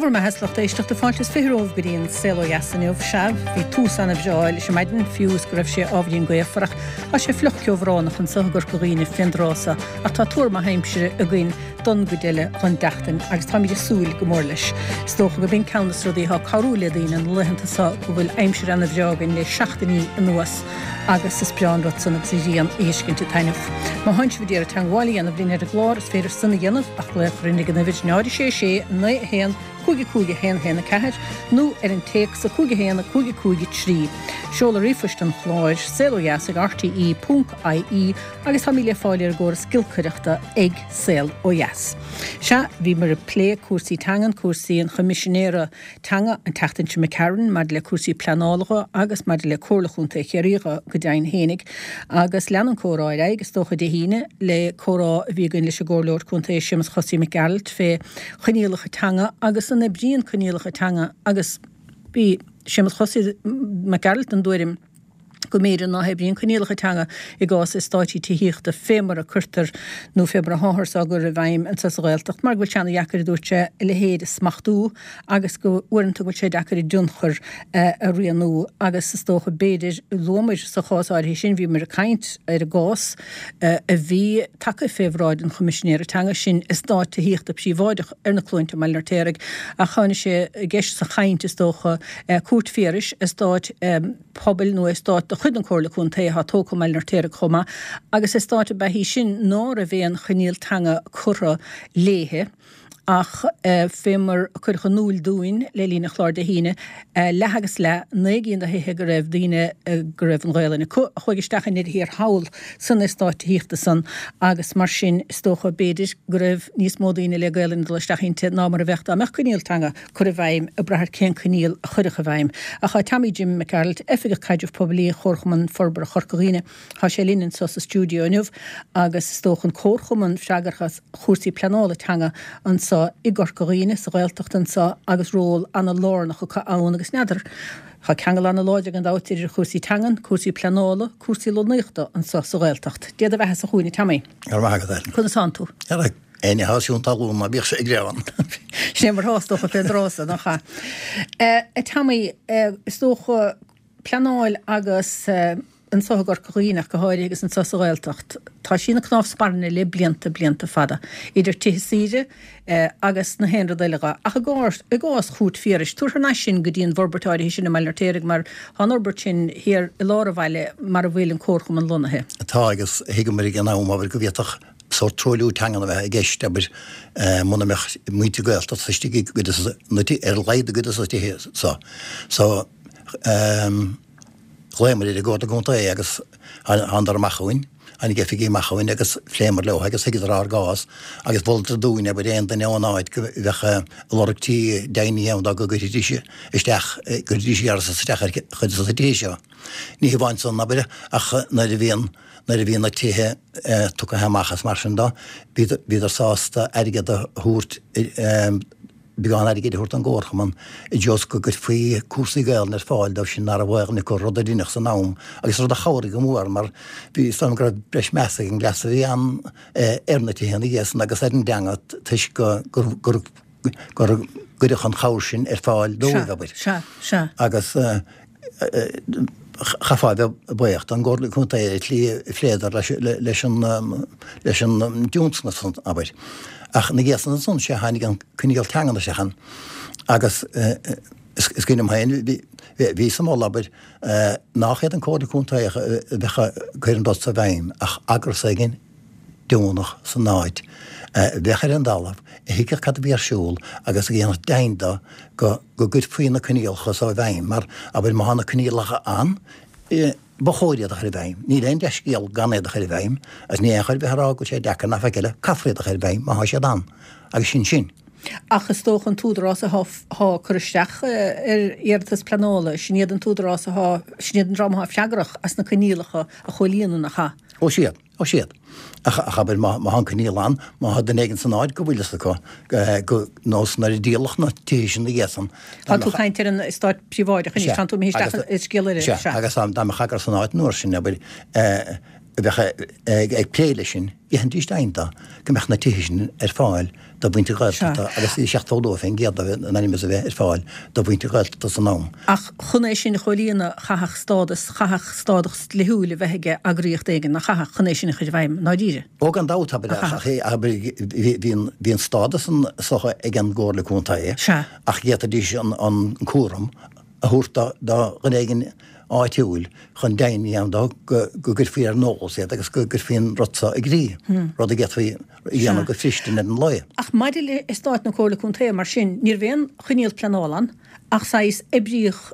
bhur mbeatha is lucht éisteachta fáilte is 20 romhaibh go dtí an Saol Ó Dheas inniu. Sea, bhí tús ana-bhreá leis an maidin, fiú is go raibh sé ábhairín gaofar, ach tá sé fliuch ceobhránach anso i gCorca Dhuibhne fén dtráth so, ach tá tuar maith aimsire againn don gcuid eile dhon tseachtain agus táimid ag súil go mór leis. Is dócha go b'in ceann des rudaí atá ag cabhrú le daoine na laethanta so go bhfuil aimsir ana-bhreá againn le seachtainí anuas agus is breá an rud san agus an ghrian a fheiscint ag taitneamh. Má thánn sibh ag iarraidh teangmháil a dhéanamh linn ar an gclár is féidir san a dhéanamh ach glaoch a chur orainn ag an uimhir 0 6 6 9 1 5 5 1 1 4 nó ar an téacs 5 1 5 5 3. Seoladh ríomhphoist an chláir, saolodheas ag rte ponc ie agus táimid le fáil ar an gcóras giolcaireachta ag Saol Ó Dheas. Sea, bhíomar ag plé cúrsaí teangan, cúrsaí an Choimisinéara Teanga an tseachtain seo imigh tharainn maidir le cúrsaí pleanála dho agus maidir le Comhairle Chontae Chiarraí dho go deimhin fhéinig. Agus lean an comhrá ar aghaidh is dócha Dé hAoine le comhrá a bhí againn leis an gComhairleoir Contae Séamus Chosaí Mac Gearailt fé choinníollacha teanga agus an oibríonn coinníollacha teanga agus bhí Séamus Chosaí Mac Gearailt den dtuairim go mb'fhéidir ná hoibríonn coinníollacha teanga i gcás eastáití tithíochta fé mar a cuirtear nó fé mar atháthar á gcur i bhfeidhm anseo sa Ghaeltacht mar go bhfuil sé ana-dheacair, a dúirt sé, a leithéid a smachtú agus go uaireanta go bhfuil sé deacair a dtionchar a rianú agus is dócha b'fhéidir, luamar sa chás áirithe sin, bhíomar ag caint ar an gcás a bhí tagtha fé bhráid an Choimisinéara Teanga, sin eastát tithíochta príobháideach ar na Cluainte i mBaile an Fheirtéaraigh ach tháinig sé i gceist sa chaint is dócha, Cúirt Phiarais, eastát. pobail nó eastát de chuid an Comhairle Contae atá tógtha i mBaile an Fheirtéaraigh chomh maith, agus eastát ab ea í sin ná raibh aon choinníoll teanga curtha léithe ach fé mar a cuireadh in iúil dúinn le linn an chláir Dé hAoine, leath agus leath, 9 gcinn de thithe go raibh daoine go raibh an Ghaelainn acu a chuaigh isteach i ndeireadh thiar thall san eastát tithíochta san agus mar sin is dócha b'fhéidir go raibh níos mó daoine le Gaelainn ag dul isteach inti ná mar a bheadh dá mbeadh coinníoll teanga curtha i bhfeidhm, ag brath ar cén coinníoll a chuirfeadh i bhfeidhm. Ach tá Tommy Jim Mac Gearailt, Oifigeach Caidrimh Poiblí Chomharchumann Forbartha Chorca Dhuibhne, tá sé linn anseo sa stiúideo inniu agus is dócha an Comharchumann freagrach as chúrsaí pleanála teanga anseo i gCorca Dhuibhne, sa Ghaeltacht anseo agus ról ana-lárnach acu ann agus n'fheadar, tá ceangal ana-láidir gan dabht idir chúrsaí teangan, cúrsaí pleanála, cúrsaí lonnaíochta anseo sa Ghaeltacht. Dé do bheatha-sa chugainn a Tommy. Go raibh maith agat, Ellen. Conas tánn tú? Ar Éinne atá ag siúl talún ná bíodh sé ag greamhan. Sin é mar atá is dócha fén dtráth so, nach ea? A Tommy, is dócha pleanáil agus anso i gCorca Dhuibhne ach go háirithe agus anso sa Ghaeltacht, tá sí ina cnámh spairne le blianta, blianta fada, idir tithe saoire agus na haon rud eile dhe. Ach i gcás, i gcás Chúirt Phiarais, tabhair thar n-ais sinn go dtí an bhforbairt áirithe sin i mBaile an Fheirtéaraigh mar tá an fhorbairt sin thiar i lár an bhaile mar a bhfuil an comharchumann lonnaithe. Tá agus thuigeamar ag an am, abair, go bhféadfadh sórt truailliú teangan a bheith i gceist, abair, muna mbeadh muintir Gaeltachta istigh i gcuid de na tithe, ar a laghad i gcuid de na tithe so. So, ghlaomar ar an gComhairle Contae agus thánadar amach chugainn, tháinig oifigigh amach chugainn agus phléamar leo agus thuigeadar ár gcás agus mholadar dúinn, abair, aon duine ón áit go bheadh ag lorg tí deimhnithe ann dá go gcuirfidís isteach, gcuirfidís iarratas isteach ar chuid de na tithe seo. Ní hamháin san, abair, ach nuair a bhíonn, nuair a bhí na tithe tugtha amach is mar sin de, bhíodar sásta airgead a thabhairt, beagán airgid a thabhairt don gComharchumann i dtreo is go gcuirfí cúrsaí Gaelainne ar fáil dóibh sin ná raibh Gaelainn acu, rud a rinneadh san am agus rud a chabhraigh go mór mar bhí, is dóigh liom go raibh breis measa ag an gcleas a bhí ann ar na tithe ina dhiaidh san agus ar an dteanga toisc go, gur, gur cuireadh an chabhair sin ar fáil dóibh, abair. Sea, sea. Agus chaithfeá a bheith buíoch don gComhairle Contae ar an tslí a phléadar leis an leis an dtionscnamh san, abair. Ach ina dhiaidh san ansan, sea, tháinig an coinníoll teangan isteach ann agus is cuimhin liom féin, bhí sa mholadh, abair, nach iad an Comhairle Contae a bheadh ag cur an rud so i bhfeidhm ach eagras éigin deonach san áit, a bheadh ar an dtalamh, a thuigfeadh cad a bhí ar siúl agus a dhéanfadh deimhin de go gcuirfí na coinníollacha so i bhfeidhm, mar, abair, má thá na coinníollacha ann, ba chóir iad a chur i bhfeidhm. Níl aon dea-scéal gan iad a chur i bhfeidhm, agus ní aon chor ar bith a rá go bhfuil sé deacair ná faic eile, caithfear iad a chur i bhfeidhm má thá siad ann, agus sin sin. Ach is dócha an t-údarás athá ag cur isteach ar iarratas pleanála, sin iad an t-údarás athá, sin iad an dream athá freagrach as na coinníollacha a chomhlíonadh, nach ea? Ó, sea. Ó siad. Ach, ach abair, má, má thá an coinníoll ann, má thá duine éigin san áit go bhfuil fhios acu, go, nós nuair a díoladh na tithe sin ina dhiaidh san, dá Tá tú ag caint ar an eastát príobháideach anois, Sea, tánn tú imithe isteach agus, i scéal eile, sea, sea. agus dá, dá mbeadh eagras san áit an uair sin, abair, eh. a bheadh ag plé leis sin, dhéanfaidís deimhin de go mbeadh na tithe sin ar fáil do mhuintir Ghaeltachta agus bhí 72% de in ainm is a bheith ar fáil do mhuintir Ghaeltachta san am. Ach chun é sin a chomhlíonadh, chaithfeadh stádas, chaithfeadh stádas dlíthiúil a bheith aige eagraíocht éigin, nach chaithfeadh, chun é sin a chur i bhfeidhm, i ndáiríre? Ó gan dabht, abair, ach bhí an stádas san socha ag an gComhairle Contae ach d'fhéadfaidís an cúram a thabhairt do dhuine éigin áitiúil chun deimhin a dhéanamh dó go gcuirfí ar an eolas iad agus go gcuirfí an rud seo i gcrích, rud a d'fhéadfaí a dhéanamh go fristin ar an lae. Ach maidir le eastáit na Comhairle Contae, mar sin, ní raibh aon choinníoll pleanála ann ach saghas oibríodh,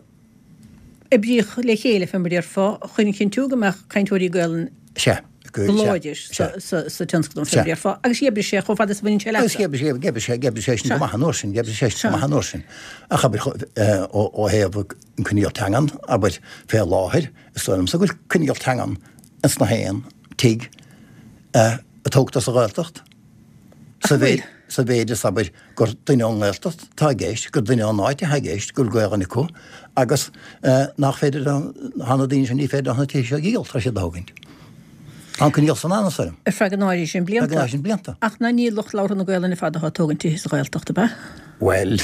oibríodh le chéile, fé mar a déarfá, chun a chinntiú go mbeadh cainteoirí Gaelainne Sea. go láidir sa tionscnamh, fé mar a déarfá, agus dh'oibrigh sé chomh fada is a bhaineann sé leatsa. Agus dh'oibrigh sé, dh'oibrigh sé, dh'oibrigh sé sin go maith an uair sin, dh'oibrigh sé sin go maith an uair sin. Ach abair, ó thaobh an coinníoll teangan, abair, fé láthair, is dóigh liomsa go bhfuil coinníoll teangan ins na haon tigh a tógtar sa Ghaeltacht. Sa mhéid, sa mhéid is, abair, gur duine ón nGaeltacht atá i gceist, gur duine ón áit atá i gceist, go bhfuil Gaelainn acu agus nach féidir leo, tá na daoine sin, ní féidir leo na tithe seo a dhíol, tá siad a thógaint. Tá an coinníoll san ann, is dóigh liom. Ar feadh an áirithe sin blianta. Ar feadh an áirithe sin blianta. Ach ná ní lucht labhartha na Gaelainne ar fad atá ag tógaint tithe sa Ghaeltacht, ab ea? Bhuel,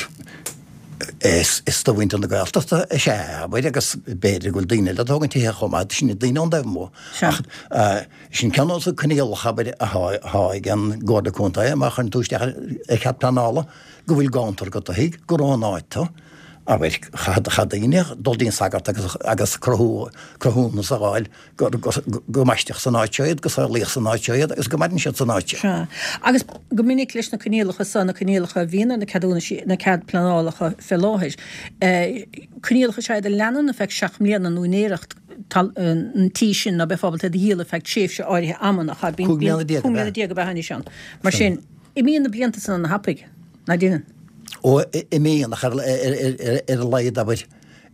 is do mhuintir na Gaeltachta is ea, abair, agus b'fhéidir go bhfuil daoine eile ag tógaint tithe chomh maith, sin iad daoine ón dtaobh amuigh. Sea. Ach sin ceann de na coinníollacha, abair, atá ag an gComhairle Contae, má chuireann tú isteach ar chead pleanála, go bhfuil gabhantar agat do thigh, gur ón áit tú. Abair, chaith daoine dul dtí'n sagart agus cruthú, cruthúnas a fháil go mbaisteadh san áit seo iad, go saolaíodh san áit seo iad agus go maireann siad san áit seo. Sea. Agus go minic leis na coinníollacha so, na coinníollacha a bhíonn ar na ceadúnaisí, na cead pleanálacha fé láthair, coinníollacha is ea iad a leanann ar feadh 7 mbliana nó úinéireacht an tí sin ná beifeá ábalta iad a dhíol ar feadh tréimhse áirithe ama, nach ea? 15 mbliana ab ea? 15 mbliana ab ea anois ann. Mar sin, imíonn na blianta san ana-thapaidh, ná deineann? Ó, imíonn, ach ar a laghad, abair,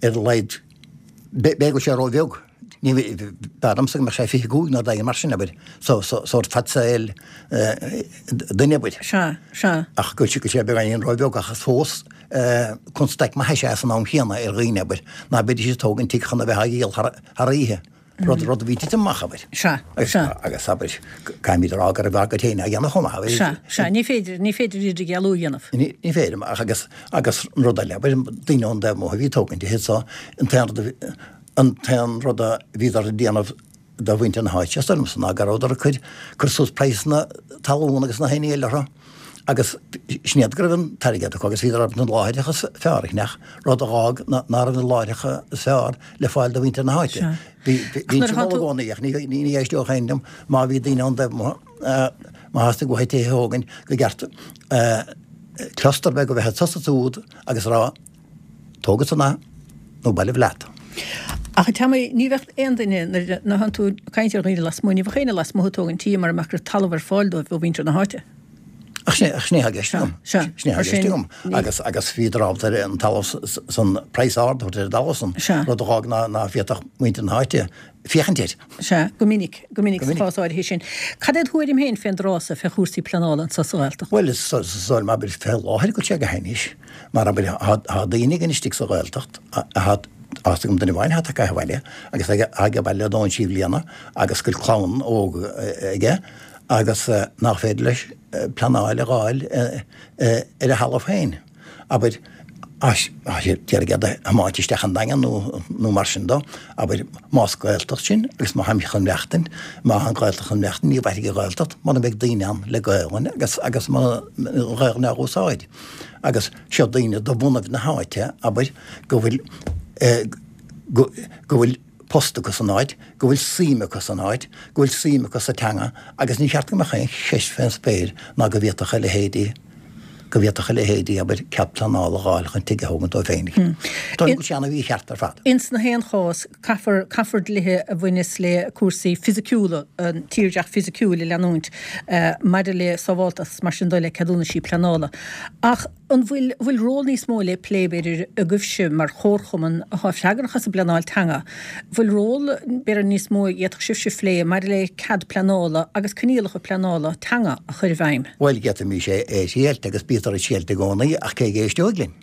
ar a laghad, b'fhéidir go bhfuil sé ró-bheag. Ní b'fhearr liomsa go mbeadh sé 25 nó rud éigin mar sin, abair, sórt fad saoil duine, abair. Sea, sea. Ach go bhfuil sé beagáinín róbheag ach is fós constaic maith is ea san am chéanna ar dhaoine, abair, ná beidís ag tógaint tigh chun a bheith á dhíol thar oíche, rud, rud a bhí ag titim amach, abair. Sea, sea. Agus, abair, caithfimid a rá go raibh ár gcuid féin á dhéanamh chomh maith, abair. Sea, sea, ní féidir, ní féidir idirdhealú a dhéanamh. Ní féidir, ach agus, agus an rud eile, abair, daoine ón dtaobh amuigh a bhí ag tógaint tithe so, an t-aon rud a bhí, An t-aon rud a bhíodar ag déanamh do mhuintir na háite, is dóigh liomsa, ná go rabhadar ag cur, cur suas praghsanna talún agus na haon ní eile orthu agus sin iad go raibh an t-airgead acu agus bhíodar ábalta na láithreacha is fearr a cheannach, rud a dh'fhág ná raibh na láithreacha is fearr le fáil do mhuintir na háite. Bhí, bhínnse ag moladh i gcónaí ach ní, ní éisteodh éinne liom má bhí daoine ón dtaobh amuigh, má theastaigh uathu tithe a thógaint go gceart cluster beag a bheith anso is ansúd agus a rá Tóg ansan é, nó bailigh leat. Ach a Tommy, ní bheadh aon duine, nuair a thánn tú ag caint ar dhaoine lasmuigh, ní bheadh éinne lasmuigh ag tógaint tí mura mbeadh go raibh talamh ar fáil dóibh ó mhuintir na háite. Ach sin é atá i gceist agam. Sea, Sin é atá i gceist agam. Agus, agus bhíodar ábalta ar an talamh san, praghas ard a thabhairt ar an dtalamh san, rud a dh'fhág ná, ná féadfadh muintir na háite féachaint air. Sea, go minic, go minic sa chás áirithe sin. Cad é do thuairim féin fén dtráth so, fé chúrsaí pleanála anso sa Ghaeltacht? Bhuel, is dóigh liom, abair, fé láthair go bhfuil sé go hainnis, mar, abair, tá daoine againn istigh sa Ghaeltacht, tá fhios agam duine amháin atá tagtha abhaile agus é age baile le dóthain trí bhliana agus go bhfuil clann óg aige agus nach féidir leis pleanáil a dh'fháil ar a thalamh féin. abair, tá siad ag iarraidh iad a thiomáint isteach an Daingean nó nó mar sin dó, abair, más Gaeltacht sinn agus má tháimid chun maireachtaint, má tá an Ghaeltacht chun maireachtaint, ní mhairfidh an Ghaeltacht mura mbeidh daoine ann le Gaelainn agus agus mura an Ghaelainn á úsáid. Agus seo daoine de bhunaibh na háite, abair, go bhfuil go go bhfuil post acu san áit, go bhfuil suim acu san áit, go bhfuil suim acu sa teanga agus ní cheart go mbeadh aon cheist fén spéir ná go bhféadfadh a leithéidí, go bhféadfadh a leithéidí, abair, cead pleanála a dh'fháil chun tigh a thógaint dóibh féinig. Dóigh liom go bhfuil sé ana-mhícheart ar fad. Ins na haon chás, caithfear, caithfear dlíthe a bhaineas le cúrsaí fisiciúla, an tírdhreach fisiciúil a leanúint maidir le sábháltacht is mar sin de le ceadúnaisí pleanála. Ach. An bhfuil bhfuil ról níos mó le plé, b'fhéidir, agaibhse mar chomharchumann atá freagrach as an bpleanáil teanga? Bhfuil ról, b'fhéidir, níos mó a d'fhéadfadh sibhse a phlé maidir le cead pleanála agus coinníollacha pleanála teanga a chur i bhfeidhm? Bhuel, d'fhéadfaimis é a thriailt agus bítear ag triailt i gcónaí ach cé a éisteoidh linn?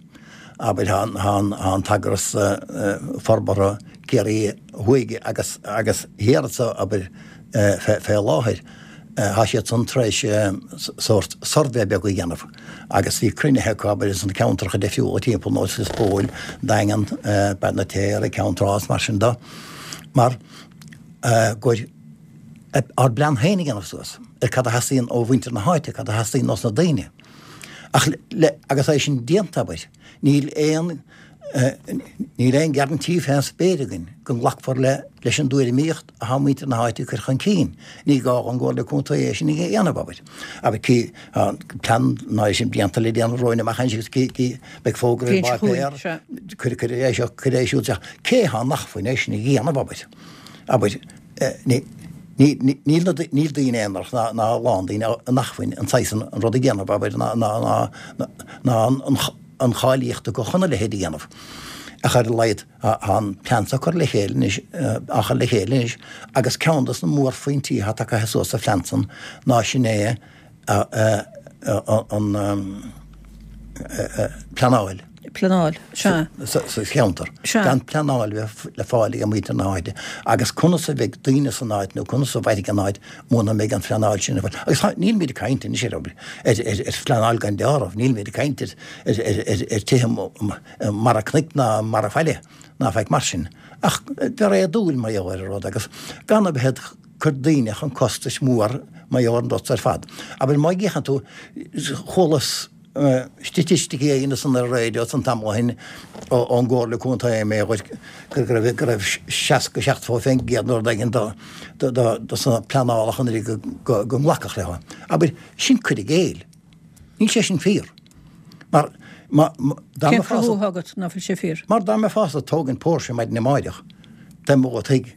Abair, tá an t-eagras forbartha. Ciarraí Thuaidh agus agus Thiar anso, abair, fé láthair, tá siad san tar éis sórt suirbhé beag a dhéanamh agus bhí cruinnithe acu, abair, ins na ceantracha difriúla timpeall nós Lios Póil, Daingean, Béal an Fheirtéaraigh, Ceann Trá is mar sin de, mar gur ár bplean féin a dhéanamh suas ar cad a theastaíonn ó mhuintir na háite, cad a theastaíonn ós na daoine. Ach le, agus é sin déanta, abair, níl aon, níl aon guarantee fén spéir againn go nglacfar le, leis an dtuairimíocht atá muintir na háite ag cur chun cinn. Ní gá don gComhairle Contae é sin a dhéanamh, abair. Abair, cí, tá plean ná é sin déanta le déanamh romhainn amach anois agus cí, cí, beidh fógra ar an bpáipéar, cuir, cuir é seo, cuir é siúd isteach. Cé atá in acmhainn é sin a dhéanamh, abair? Abair, níl níl daoine aonarach ná ná a lán daoine in acmhainn an saghas an rud a dhéanamh, abair, ná ná ná ná an an cháilíocht acu chun a leithéid a dhéanamh. Ach ar a laghad tá an plean seo curtha le chéile anois, á chur le chéile anois agus ceann dos na mórphointí atá tagtha suas sa phlean san ná sin é an pleanáil. Pleanáil, sea. Sa cheantar. Sea. Gan pleanáil a bheith le fáil ag muintir na háite. Agus conas a bheidh daoine san áit nó conas a mhairfidh an áit muna mbeidh an phleanáil sin ar fáil. Agus nílmid ag caint anois ar ar phleanáil gan deáramh, nílmid ag caint ar ar tithe mara cnoic ná mara faille ná faic mar sin. Ach bheith réadúil mar gheall ar an rud agus gan a bheith cur daoine chun costais mhór mar gheall ar an rud ar fad. Abair má fhéachann tú, chualas staitisticí éigin ansan ar an raidió ansan tamall ó shin ón gComhairle Contae mé go raibh go raibh 60, 70% nó rud éigin do do sna pleanálacha anuraidh go go nglacfadh leo. Abair, sin cur i gcéill. Níl sé sin fíor. Mar má dá Cén mbeifeá cruthú atá agat ná fuil sé fíor? Mar dá mbeifeása ag tógaint póirse maidin amáireach, dá mbeadh do thigh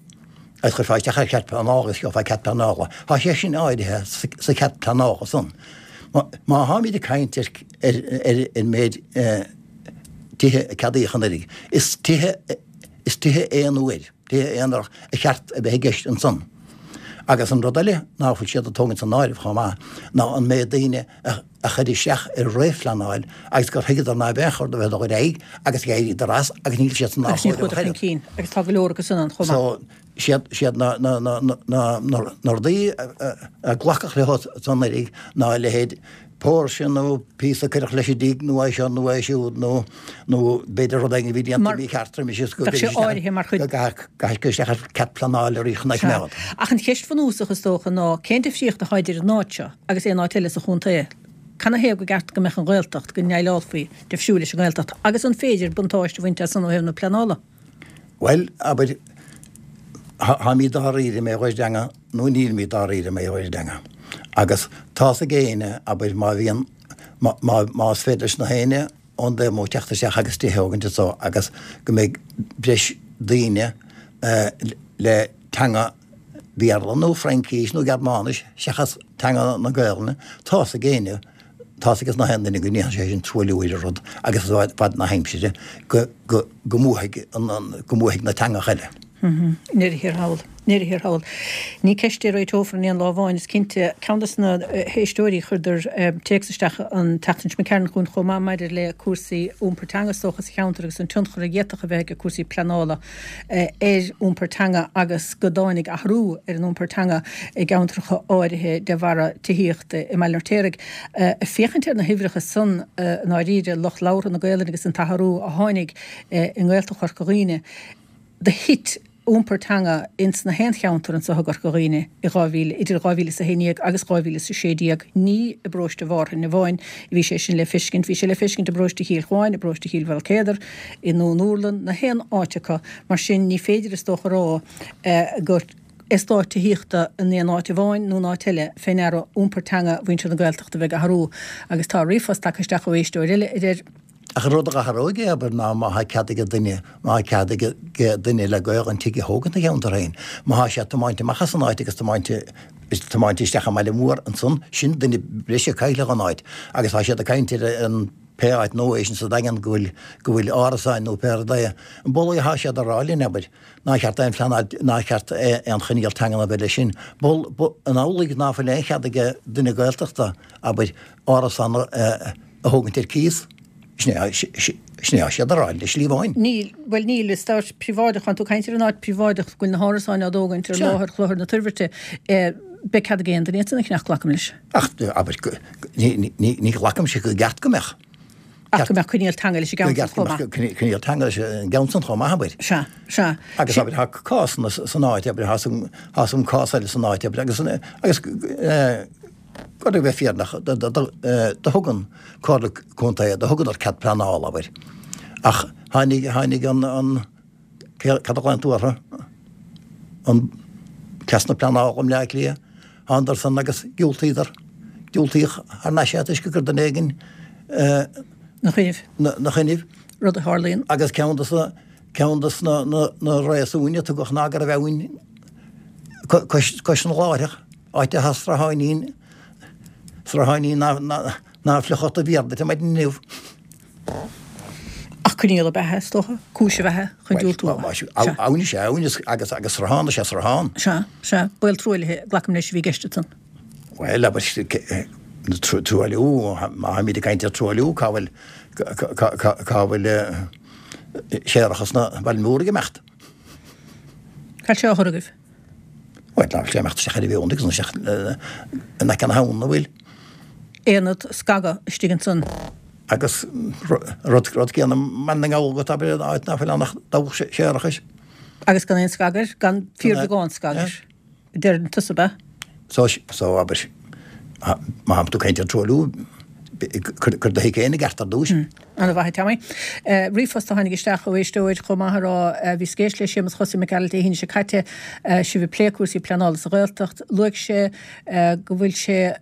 agus chuirfeá isteach ar chead pleanála agus gheofá cead pleanála. Tá sé sin áirithe sa chead pleanála san. Má tháimid ag caint ar ar an méid tithe a ceadaíodh anuraidh, is tithe is tithe aon uair, tithe aonarach a cheart a bheith i gceist ansan. Agus an rud eile ná fuil siad ag tógaint san áireamh chomh maith ná an méid daoine a a chuir isteach ar réamhphleanáil agus gur thuigeadar ná beadh aon chor dul ar aghaidh agus d'éiríodar as agus níl siad san Agus ní chuadar chun cinn agus tá go leor acu san ann chomh maith. So, siad, siad na, na, na, na, na, na rudaí a glacadh leo san anuraidh ná a leithéid póirse nó píosa a cuireadh leis an dtigh nó é seo nó é siúd nó, nó b'fhéidir rud éigin a bhí déanta mícheart roimis is go Bheadh sé áirithe mar chuid. go gcaithfidh cur isteach ar cead pleanála arís chun é a choimeád. Ach an cheist bhunúsach is dócha ná cén difríocht atá idir an áit seo agus aon áit eile sa chontae? Canathaobh go gceart go mbeadh an Ghaeltacht, go ndéileálfaí difriúil leis an nGaeltacht agus an féidir buntáiste a bhaint as san ó thaobh na pleanála? Bhuel, abair, táimid dáiríre mar gheall ar an dteanga nó nílimid dáiríre mar gheall ar an dteanga. Agus tá's ag éinne, abair, má bhíonn, má, má, más féidir leis na héinne ón dtaobh amuigh teacht isteach agus tithe a thógaint anso agus go mbeidh breis daoine le teanga Bhéarla nó Fraincís nó Gearmáinis seachas teanga na Gaelainne, tá's ag éinne, tá's ag gach aon duine go ndéanfaidh sé sin truailliú ar an rud agus i bhfad na haimsire go, go, go mbuafaidh an, go mbuafaidh na teangacha eile. I ndeireadh thiar thall. I ndeireadh thiar thall. Ní ceist é a réiteofar in aon lá amháin, is cinnte. Ceann de na héisteoirí, chuireadar téacs isteach an tseachtain seo imigh chugainn chomh maith maidir le cúrsaí iompar teanga is dócha sa cheantar agus an tionchar a d'fhéadfadh a bheith ag cúrsaí pleanála ar iompar teanga agus go dtáinig athrú ar an iompar teanga i gceantracha áirithe de bharra tithíochta i mBaile an Fheirtéaraigh. Ag féachaint ar na huimhreacha san i ndáiríre, lucht labhartha na Gaelainne agus an t-athrú a tháinig i nGaeltacht Chorca Dhuibhne, do thit iompar teanga ins na haon cheantar anso i gCorca Dhuibhne i 2000, idir 2011 agus 2016. Ní i bparóiste Mhárthain amháin a bhí sé sin le feiscint, bhí sé le feiscint i bparóiste Chill Chuáin, i bparóiste Chill Mhaoilcéadair, i nDún Úrlann, na haon áit acu. Mar sin, ní féidir is dócha a rá gur eastát tithíochta in aon áit amháin nó in áit eile fé ndeara iompar teanga mhuintir na Gaeltachta a bheith ag athrú. Agus tá ríomhphost tagtha isteach ó éisteoir eile a deir. Ach an rud a d'athródh é, abair, ná má tá cead ag duine, má tá cead ag duine le Gaelainn tigh a thógaint ina cheantar féin, má tá sé ag tiomáint amach as an áit agus tiomáint, tiomáint isteach i mbaile mór ansan, sin duine breise a cailleadh ón áit. Agus tá siad ag caint ar an pé áit nua é sin sa Daingean go bhfuil, go bhfuil árasáin nó pé rud é. An b'amhlaidh atá siad a rá linn, abair, nár cheart aon phleanáil, nár cheart aon choinníoll teangan a bheith leis sin. B'fhuil, an amhlaidh ná fuil aon chead ag duine Gaeltachta, abair, árasán a, a thógaint ar cíos? Sin é, sin é atá siad a rá le slí amháin. Níl, bhuel níl, is áit príobháideach, tánn tú ag caint ar an áit príobháideach go bhfuil na hárasáin á dtógaint ar láthair Chlochar na Toirbhirte, beidh cead ag aon duine iad san a cheannach, glacaim leis. Ach, abair, ní, ní, ní ghlacaimse go gceart go mbeadh. Ach go mbeadh coinníoll teanga leis an gceann san chomh maith. Coinníoll teanga leis an gceann san chomh maith, abair. Sea, sea. Agus abair, tá cásanna san áit, abair, tá san cás eile san áit, abair, agus, agus, Chun a bheith fírinneach, do thug an Comhairle Contae, do thugadar cead pleanála, abair. Ach tháinig, tháinig an, an, cad a ghlaonn tú orthu? An cleas na pleanála i mBleá Cliath, thánadar san agus diúltaíodar, diúltaíodh thar n-ais é toisc gur duine éigin 'Na choinnibh. 'Na choinnibh. Rud a tharlaíonn. Agus ceann de na, ceann de na, na, na réasúin a tugadh ná go raibh abhainn cois, cois an láithreach. Áit atá srutháinín, srutháinín ná fliuchfadh do mhéar duit ar maidin inniu. Ach coinníoll ab ea é, is dócha, cúis ab ea é chun diúltú. Sea. Abhainn is ea abhainn agus agus sruthán is ea sruthán. Sea, sea. Baol truaillithe, glacaim leis, a bhí i gceist ansan. Bhuel, abair, truailliú, má tháimid ag caint ar truailliú, cá bhfuil, cá bhfuil séarachas na Baile Mór ag imeacht? Cá bhfuil sé á chur agaibh? Bhuel, ná bhfuil sé ag imeacht isteach ar an bhfeonaigh agus isteach in aice na habhann, an bhfuil? Aonad scagadh istigh ansan. Agus rud, rud céanna i mBaile na nGall agat, abair, áit ná fuil ann ach dabhach séarachais. Agus gan aon scagadh air, gan fíorbheagán scagadh air, a deireann tusa, ab ea? So, so, abair, má tá tú ag caint ar truailliú, cuir do thigh féin i gceart ar dtús. Ana mhaith, a Tommy. Ríomhphost a tháinig isteach ó éisteoir chomh maith a rá, bhíos ag éisteacht le Séamus Chosaí Mac Gearailt Dé hAoine seo caite, sibh ag plé cúrsaí pleanála sa Ghaeltacht. Luaigh sé go bhfuil sé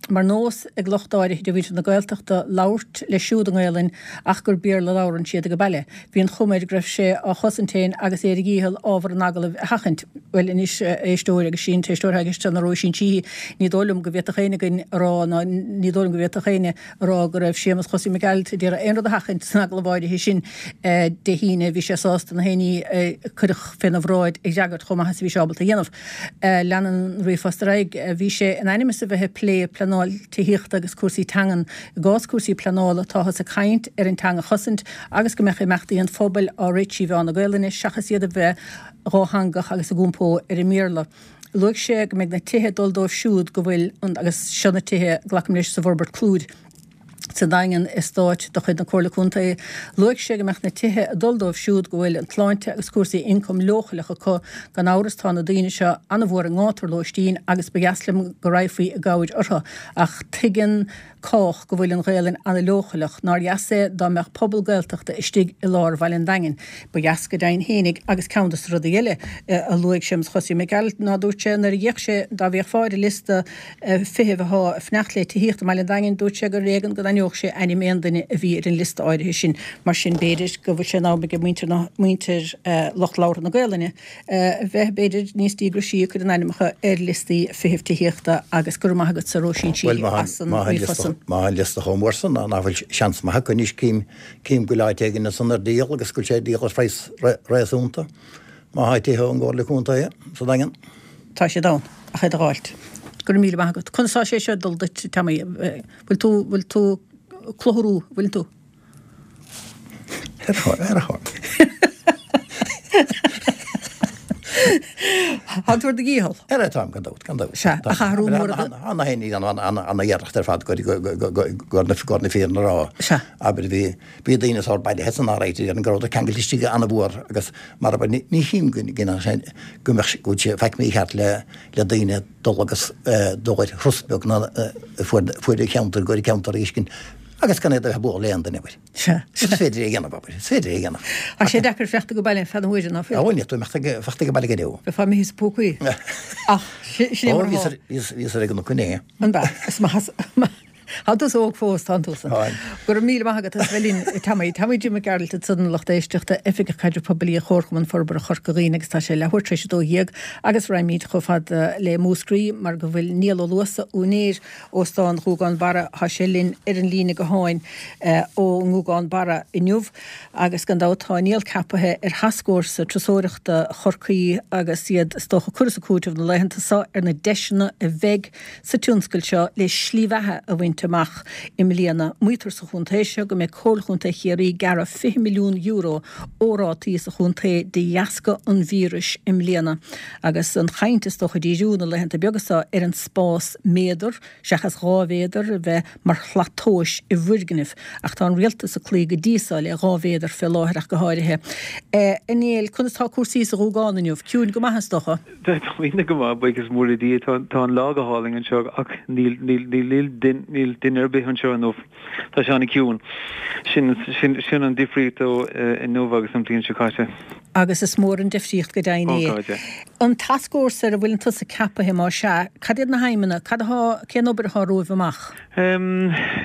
mar nós ag lucht áirithe de mhuintir na Gaeltachta labhairt leis siúd i nGaelainn ach gur Béarla a labhrann siad ag baile. Bhí an chuma air go raibh sé á chosaint féin agus é ar a dhícheall ábhar an agallaimh a sheachaint. Bhuel anois, a éisteoir, agus sí an t-éisteoir atá i gceist ná Róisín Sheehy, ní dóigh liom go bhféadfadh éinne againn a rá ná ní dóigh liom go bhféadfadh éinne a rá go raibh Séamus Chosaí Mac Gearailt ag iarraidh aon rud a sheachaint san agallamh áirithe sin Dé hAoine. Bhí sé sásta na haon ní a cuireadh féna bhráid a fhreagairt chomh maith is a bhí sé ábalta a dhéanamh. Leanann an ríomhphost ar aghaidh. Bhí sé in ainm is a bheith ag plé pleanáil tithíochta agus cúrsaí teangan. I gcás cúrsaí pleanála, táthas ag caint ar an teanga a chosaint agus go mbeadh imeachtaí an phobail á rith trí mheán na Gaelainne seachas iad a bheith dhátheangach agus ag iompó ar an mBéarla. Luaigh sé go mbeidh na tithe ag dul dóibh siúd go bhfuil an, agus seo na tithe, glacaim leis, sa bhforbairt Clúid sa Daingean, eastát de chuid na Comhairle Contae. Luaigh sé go mbeadh na tithe ag dul dóibh siúd go bhfuil an tsláinte agus cúrsaí ioncaim leochaileach acu. Gan amhras tá na daoine seo an-mhór i ngátar lóistín agus ba dheas liom go raghfaí i gcabhair orthu. Ach tuigeann cách go bhfuil an Ghaelainn ana-leochaileach. Nár dheas é dá mbeadh pobal Gaeltachta istigh i lár Bhaile an Daingin? Ba dheas go deimhin fhéinig agus ceann dos na rudaí eile a luaigh Séamus Chosaí Mac Gearailt ná dúirt sé nuair a d'fhéach sé dá bhféachfá ar an liosta feithimh athá ag fanacht le tithíocht i mBaile an Daingin dúirt sé gur ar éigean go n-aithneodh sé ainm aon duine a bhí ar an liosta áirithe sin. Mar sin b'fhéidir go bhfuil sé in am ag muintir na muintir lucht labhartha na Gaelainne a bheith, b'fhéidir, níos díograisí ag cur a n-ainmneacha ar liostaí feithimh tithíochta agus go raibh maith agatsa Róisín Sheehy as an ríomhphost san. Má tá an liosta chomh mór san, nach bhfuil seans maith acu anois, cím, cím go bhfuil áit éigin ansan ar díol agus go bhfuil sé ar díol ar phraghas réasúnta, má tá tithe ón gComhairle Contae sa Daingean. Tá siad ann, ach iad a dh'fháilt. Go raibh míle maith agat. Conas tá sé seo ag dul duit, Tommy? Bhfuil tú, bhfuil tú clutharú, bhfuil tú? Ar a Tá tú ar do dhícheall. Ar a táim gan dabht, gan dabht. Sea, ach athrú mór a. Tá na héinne ana-iarracht ar fad gur na fírinne a rá. Sea. Abair bhí bhí daoine sórt bailithe san áit ar an go rabhadar ceangailte istigh an-mhór agus mar abair ní chím go go mbeadh go bhfuil sé faic mícheart le le daoine dul agus dul ar thuras beag ná fuaid fuaid an cheantair go ceantar uiscin Agus gan iad a bheith ag bualadh le aon duine, abair. Sea. Is féidir é a dhéanamh, abair. Is féidir é a dhéanamh. Tá sé deacair fanacht ag baile feadh na huaire, ná fuil? Á, bhuel, níl tú imeacht ag fanacht ag baile go deo. Bheifeá imithe sa phócaí. Ach, sin é mar atá. Bhíos, bhíos ar an gcnoc inné. An b'ea? Is maith, maith. Tá tusa óg fós, tánn tusa. Táim. Go raibh míle maith agat as bheith linn, Tommy. Tommy Jim Mac Gearailt ansan, lucht éisteachta, Oifigeach Caidrimh Poiblí Chomharchumann Forbartha Chorca Dhuibhne agus tá sé leathuair tar éis 12 agus raghaimid chomh fada le Múscraí mar go bhfuil Niall Ó Luasa, úinéir Óstán Ghuagán Barra, tá sé linn ar an líne gutháin ón nGuagán Barra inniu agus gan dabht tá Niall ceapaithe ar Thascfhórsa Turasóireachta Chorcaí agus iad is dócha ag cur is ag cúiteamh na laethanta seo ar na deiseanna a bheidh sa tionscal seo le slí bheatha a bhaint. amach i mbliana. Maítear sa chontae seo go mbeidh Comhairle Chontae Chiarraí ag gearradh €20 milliún ó rátaí sa chontae de dheasca an víris i mbliana. Agus an chaint is dócha ag díriú na laethanta beaga seo ar an spás méadar seachas 2 mhéadar a bheith mar shlat tomhais i bhfoirgnimh. Ach tá an rialtas ag cloí go díosal le 2 mhéadar fé láthair ach go háirithe. A Néill, conas tá cúrsaí sa Ghúgán inniu? Ciúin go maith is dócha? Tá go maith, buíochas mór le Dia. Tá an lá go hálainn anseo ach níl níl duine ar bith anseo inniu. Tá sé an-chiúin. Sin sin an difríocht ó inniu agus an bhliain seo caite. Agus is mór an difríocht go deimhin é. Ó God, yeah. An tascfhórsa ar a bhfuileann tusa ceapaithe, más ea, cad iad na haidhmeanna, cad atá, cén obair atá romhaibh amach?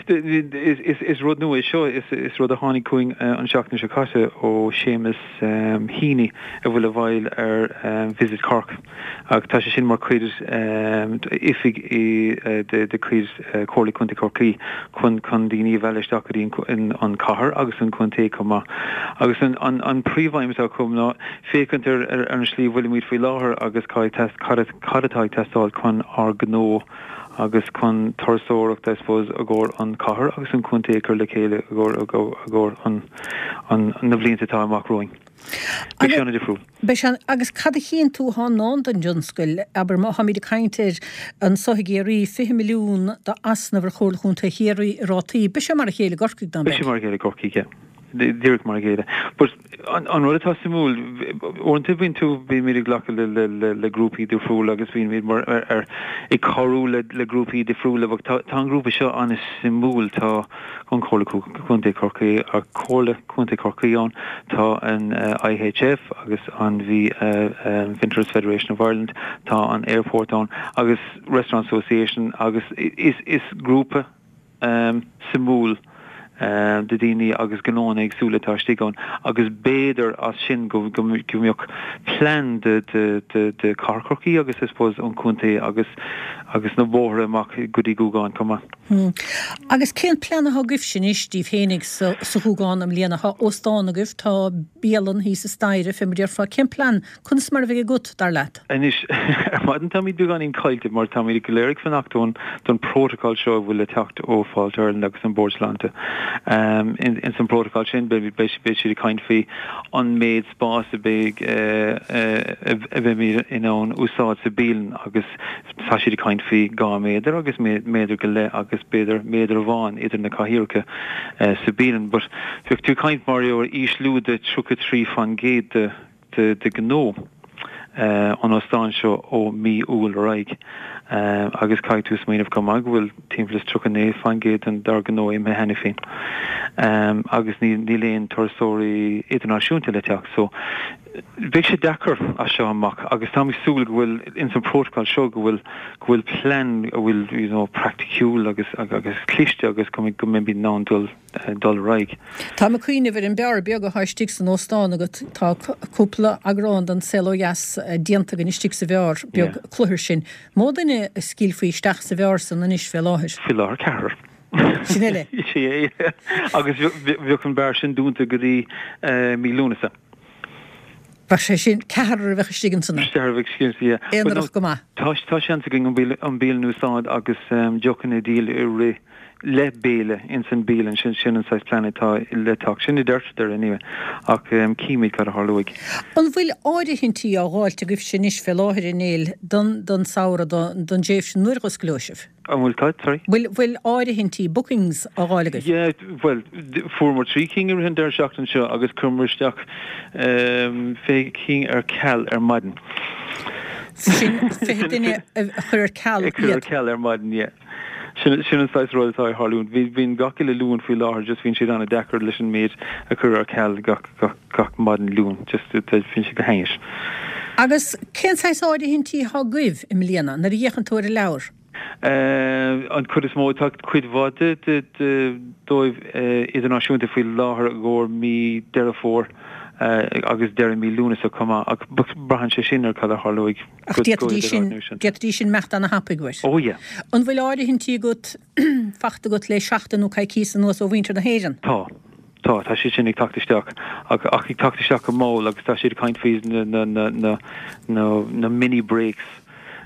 Is rud nua é seo, is rud a tháinig chugainn an seachtain seo caite ó Séamus Heaney a bhfuil i bhfeighil ar Visit Cork. Ach tá sé sin mar chuid d'oifig de chuid Chomhairle Contae Chorcaí chun chun daoine a mhealladh isteach go dtí an chathair agus an contae chomh maith. Agus an príomhaidhm atá acu ná féachaint ar an slí a bhfuilimid faoi láthair agus cad atá ag teastáil chun ár ngnó agus chun turasóireacht I suppose i gcomhair an chathair agus an contae a chur le chéile i gcomhair na blianta atá amach romhainn. Beidh sé an-difriúil. Beidh sé. Agus cad a chíonn tú atá i ndán don dtionscal? Abair, má táimid ag caint ar anso i gCiarraí, 20 milliún d'easnamh ar Chomhairle Chontae Chiarraí i rátaí, beidh sé mar a chéile i gCorcaigh, dá mbeidh. Beidh sé mar a chéile i gCorcaigh, yeah. Díreach mar a chéile. But an rud atá suimiúil, uaireanta bíonn tú, bímid ag glacadh le, le, le, le grúpaí difriúla agus bímid mar, ar, ar, ag cabhrú le, le grúpaí difriúla, but tá, tá an grúpa seo an-suimiúil, tá, an Chomhairle Contae Chorcaí, Comhairle Contae Chorcaí ann, tá an IHF agus an bhí Vintners Federation of Ireland, tá an Airport ann agus Restaurant Association agus is is grúpa suimiúil de daoine agus gnóanna éagsúla atá istigh ann agus b'fhéidir as sin go go mbeadh plean de de de de Chathair Chorcaí agus I suppose an contae agus agus na bóithre amach go dtí Gúgán chomh maith. Agus cén plean atá agaibhse anois daoibh fhéinig sa Ghúgán i mbliana? Tá óstán agaibh, tá bialann thíos an staighre, fé mar déarfá. Cén plean, conas mar a bheidh agat, dar leat? Anois, ar maidin táimid beagáinín caillte mar táimid go léir ag fanacht don don protocol seo a bhfuil le teacht ó Fáilte Ireland agus an Bord Sláinte. Ins an protocol sin beidh beidh siad ag caint faoi an méid spáis a bheidh a bheimid in ann úsáid sa bialann agus Tá siad ag caint faoi 2 méadar agus méadar go leith agus b'fhéidir méadar amháin idir na cathaoireacha sa bialann. But bheadh tú ag caint mar ar ísliú de 33% de de gnó an óstáin seo ó mí Iúil ar aghaidh. Agus caithfidh tú smaoineamh chomh maith go bhfuil timpeall is 39% dár gnó imithe cheana féin. Agus níl aon turasóirí idirnáisiúnta le teacht. So Beidh sé deacair as seo amach agus táim ag súil go bhfuil ins an protocol seo go bhfuil go bhfuil plean a bhfuil you know praiticiúil agus agus cliste agus go go mbeimid in ann dul dul ar aghaidh. Táim ag cuimhneamh ar an beár beag atá istigh san óstán agat. Tá cúpla eagrán den Saol Ó Dheas déanta againn istigh sa bheár beag cluthair sin. Mó duine a scaoilfí isteach sa bheár san anois fé láthair? Faoi láthair ceathrar. Sin uile. Sin é. Agus bheadh an beár sin dúnta go dtí mí Lúnasa. Bheadh sé sin, ceathrar a bheadh istigh ansan. Ceathrar a bheadh istigh ansan, yeah. Aonarach go maith. Tá, tá seans againn an bialann, an bialann a úsáid agus deochanna a dhíol i rith, le béile ins an bialann, sin, sin an saghas plean atá le teacht. Sin a deirtear anyway, ach címid cad a tharlóidh. An bhfuil áirithintí á dh'fháilt agaibhse anois fé láthair, a Néill, don, don samhradh, don, don dtréimhse nuair dh'osclóidh sibh? An bhfuil cad, sorry? Bhfuil, bhfuil áirithintí, bookings, á dh'fháil agaibh? Yeah, bhuel, fuaireamar 3 cinn i rith an deireadh seachtaine seo agus chuireamar isteach 20 cinn ar ceal ar maidin. Sin 20 duine a chuir ar ceal iad? A chuir ar ceal ar maidin, yeah. Sin, sin an saghas rud atá ag tharlúint. Bhí, bíonn gach uile Luan faoi láthair, just bíonn siad an-deacair leis an méid a chuir ar ceal gach, gach, gach maidin Luain, just, bíonn sé go hainnis. Agus cén saghas áirithintí atá agaibh i mbliana, nuair a fhéachann tú ar an leabhar? An chuid is mó, tá cuid mhaith de dóibh idirnáisiúnta faoi láthair i gcomhair mí Deireadh Fómhair agus deireadh mí Lúnasa chomh maith, ach braitheann sé sin ar cad a tharlóidh Ach d'fhéadfaidís sin, d'fhéadfaidís sin imeacht ana-thapaidh uait. Oh yeah. An bhfuil áirithintí agat, fachta agat le seachtain nó coicíos anuas ó mhuintir na hÉireann? Tá. Tá, tá siad sin ag teacht isteach, ach ach ag teacht isteach go mall agus tá siad ag caint faoi na na na na na na mini breaks.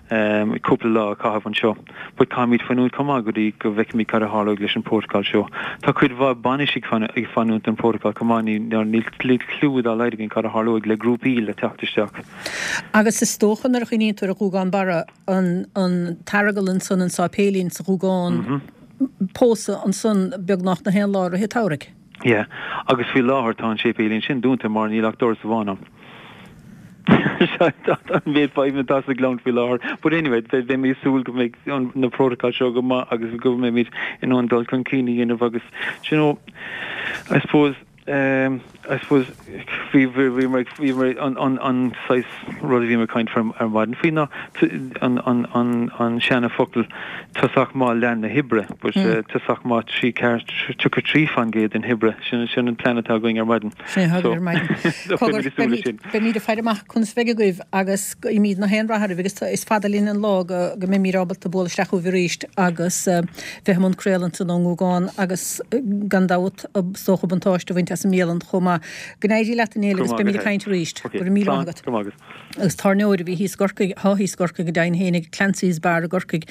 Cúpla lá a chaitheamh anseo. But caithfimid fanúint chomh maith go dtí go bhfeicfimid cad a tharlóidh leis an bprótacal seo. Tá cuid mhaith bainis ag fanúint don phrótacal chomh maith, níl cliú dá laghad againn cad a tharlóidh le grúpaí le teacht isteach. Agus is dócha nuair a chuimhníonn tú ar an Ghúgán Barra, an tEaragal ansan, an Sáipéilín sa Ghúgán, pósadh ansan beagnach na haon lá i rith an tsamhraidh. Yeah. Agus faoi láthair tá an séipéilín sin dúnta mar níl ach doras amháin ann. An méid fadhbanna atá sa Ghleann faoi láthair. But anyway, beidh mé ag súil go mbeidh na prótacail seo go maith agus go mbeimid in ann dul chun cinn a dhéanamh agus, you know, I suppose, I suppose bhí, bhí, bhíomar, bhíomar, an, an, an saghas rud a bhíomar ag caint faoi ar maidin faoi ná an, an, an, an seana focal tosach maith leath na hoibre, but tosach maith 33% den oibre, sin, sin an plean atá againn ar maidin. Sin atá agaibh ar maidin. Cogar, beimid, beimid ag faire amach conas a bheidh agaibh agus guímid na haon rath oraibh agus is fada linn an lá go, go mbeimid ábalta bualadh isteach chugaibh arís agus bheith i mbun craoladh ansan ón nGúgán agus gan dabht is dócha buntáiste a bhaint as an mbialann chomh maith. Go n-éirí leat a Néill agus beimid ag caint arís. Go raibh míle maith agat. Go raibh maith agat. Agus tábhairneoir a bhí thíos i gCorcaigh, atá thíos i gCorcaigh go deimhin féin ag Clancy's Bar i gCorcaigh,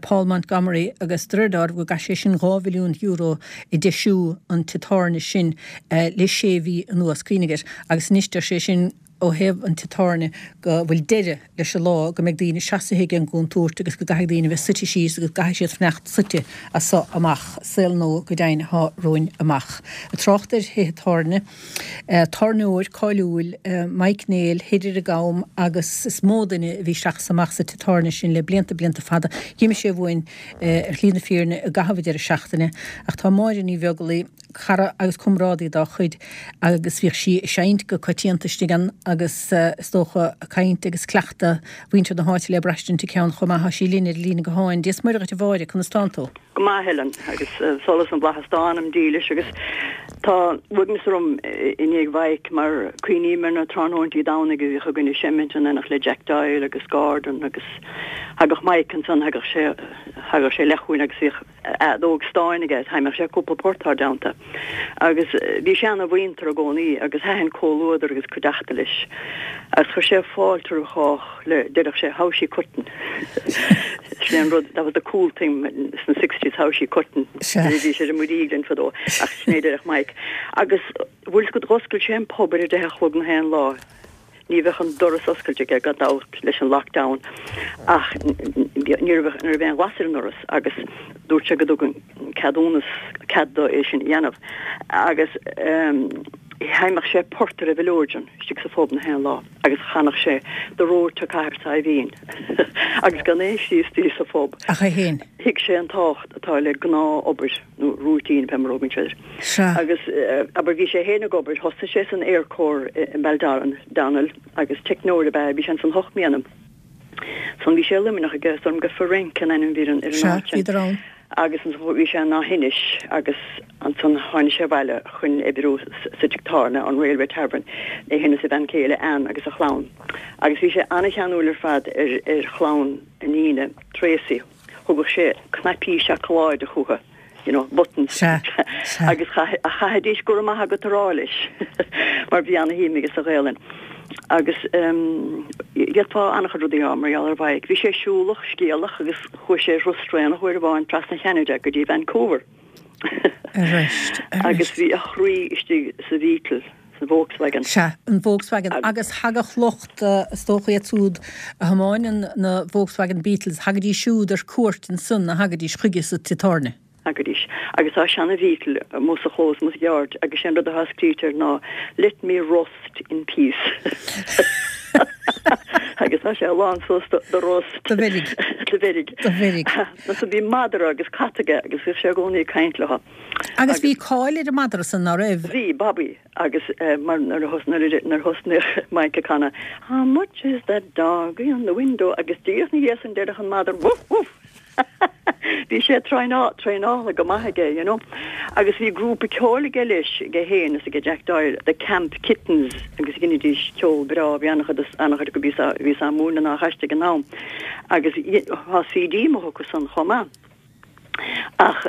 Paul Montgomery agus de réir dealraimh go gcaith sé sin €2 mhilliún ag deisiú an tigh tábhairne sin le sé mhí anuas. Cuimhnigh air. Agus anois deir sé sin ó thaobh an tigh tábhairne go bhfuil deireadh leis an lá go mbeidh daoine seasaithe ag an gcúntúirt agus go gcaithfidh daoine a bheith suite síos agus go gcaithfidh siad fanacht suite as so amach. Saol nua go deimhin atá romhainn amach. Ag trácht ar thithe tábhairne, tábhairneoir cáiliúil, Mike Néill, thoir ar an gCam agus is mó duine a bhí isteach is amach sa tigh tábhairne sin le blianta, blianta fada. D'imigh sé uainn ar shlí na fírinne i gcaitheamh an deireadh seachtaine ach tá Máire Ní Bheaglaoi, cara agus comrádaí dá chuid agus bhíodh sí ag seinnt go coitianta istigh ann agus is dócha caint agus cleachtadh mhuintir na háite le braistint aici ann chomh maith. Tá sí linn ar an líne gutháin. Dia is Muire dhuit a Mháire, conas tánn tú? Go maith, Helen, agus solas na bhFlaitheas dá anam dílis agus tá uaigneas orm i ndiaidh Mhaidhc mar cuimhním ar na tráthnóintí Domhnaigh a bhíodh againn ag seimint in éineacht le Jack Doyle agus Gordon agus thagadh Mike ansan, thagadh sé, thagadh sé isteach chugainn agus bhíodh fheadóg stáin aige, sheinneadh sé cúpla port ár dteannta. Agus bhí sé ana-mhuinteartha i gcónaí agus thaitin comhluadar agus cuideachta leis. Agus chuir sé fáilte roimh chách le, deireadh sé, how's she cuttin'? Sin é an rud, that was the cool thing sna sixties, how's she cuttin'? Bhí sé ar an muirígh linn fadó, ach sin é a deireadh Mike. Agus bhfuil 's agat, dh'oscail sé an pub ar a deich a chlog na haon lá. Ní bheadh an doras oscailte aige gan dabht leis an lockdown ach ní raibh ní raibh aon ghlas ar an ndoras agus dúirt sé go dtug an ceadúnas cead dó é sin a dhéanamh agus sheinneadh sé port ar an mhileoidean istigh sa phub na haon lá agus chanadh sé The Road to Cathair Saidhbhín agus gan aon Chríostaí sa phub. Ach é féin. Thuig sé an tábhacht atá le gnáth-obair. nó routine pé mar a thugann siad air. Sea. Agus, abair, bhí sé féin ag obair, thosaigh sé san Air Corps i mBaldoran, Donnell, agus teicneoir ab ea é, bhí sé ansan hocht mbliana. Ansan bhí sé i Luimneach aige, is dóigh liom gur Frerenc an ainm a bhí ar an Sea, áit sin. bhíodar ann. Agus ansan bhí sé in Áth Inis agus ansan tháinig sé abhaile chun oibriú sa tigh tábhairne, an Railway Tavern, é féin is a bhean chéile Anne agus a chlann. Agus bhí sé an-cheanúil ar fad ar ar chlann a iníne, Tracy. Thugadh sé cnaipí seacláide chucu, you know, buttons. Sea, sea. Agus chaithfidís go raibh maith agat a rá leis mar bhí ana-shuim aige sa Ghaelainn. Agus d'fhéadfá an-chuid rudaí a rá mar gheall ar Mhaidhc. Bhí sé siúlach, scéalach agus chuaigh sé ar thuras traenach uair amháin trasna Cheanada go dtí Vancouver. Arís, arís. Agus bhí a chroí istigh sa Bheetle. Sa Volkswagen. Sea, an Volkswagen. Agus thagadh lucht, is dócha iad siúd a thiomáineann na Volkswagen Beetles, thagaidís siúd ar cuairt ansan, thagaidís chuige sa tigh tábhairne. Thagaidís. Agus tá seana Bheetle amuigh sa chlós amuigh sa yard agus sé an rud atá scríte air ná Let me rust in peace. Agus tá sé lán suas de rust. De mheirg. De mheirg. De mheirg. Agus bhí madra agus cat aige agus bhíodh sé i gcónaí ag caint leo. Agus bhí cáil ar an madra san, ná raibh? Bhí, Bobby, agus mar nuair a thosnaíodh Mike ag canadh How much is that dog in the window agus díreach ina dhiaidh san deireadh an madra Woof woof! Bhí sé traenáilte go maith aige, you know. Agus bhí grúpa ceoil aige leis, aige féin is aige Jack Doyle, The Camp Kittens, agus dheinidís ceol breá, bhí an-chuid an-chuid acu a bhí á múineadh ná chaiste ag an am. Agus tá CD amuigh acu san chomh maith. Ach,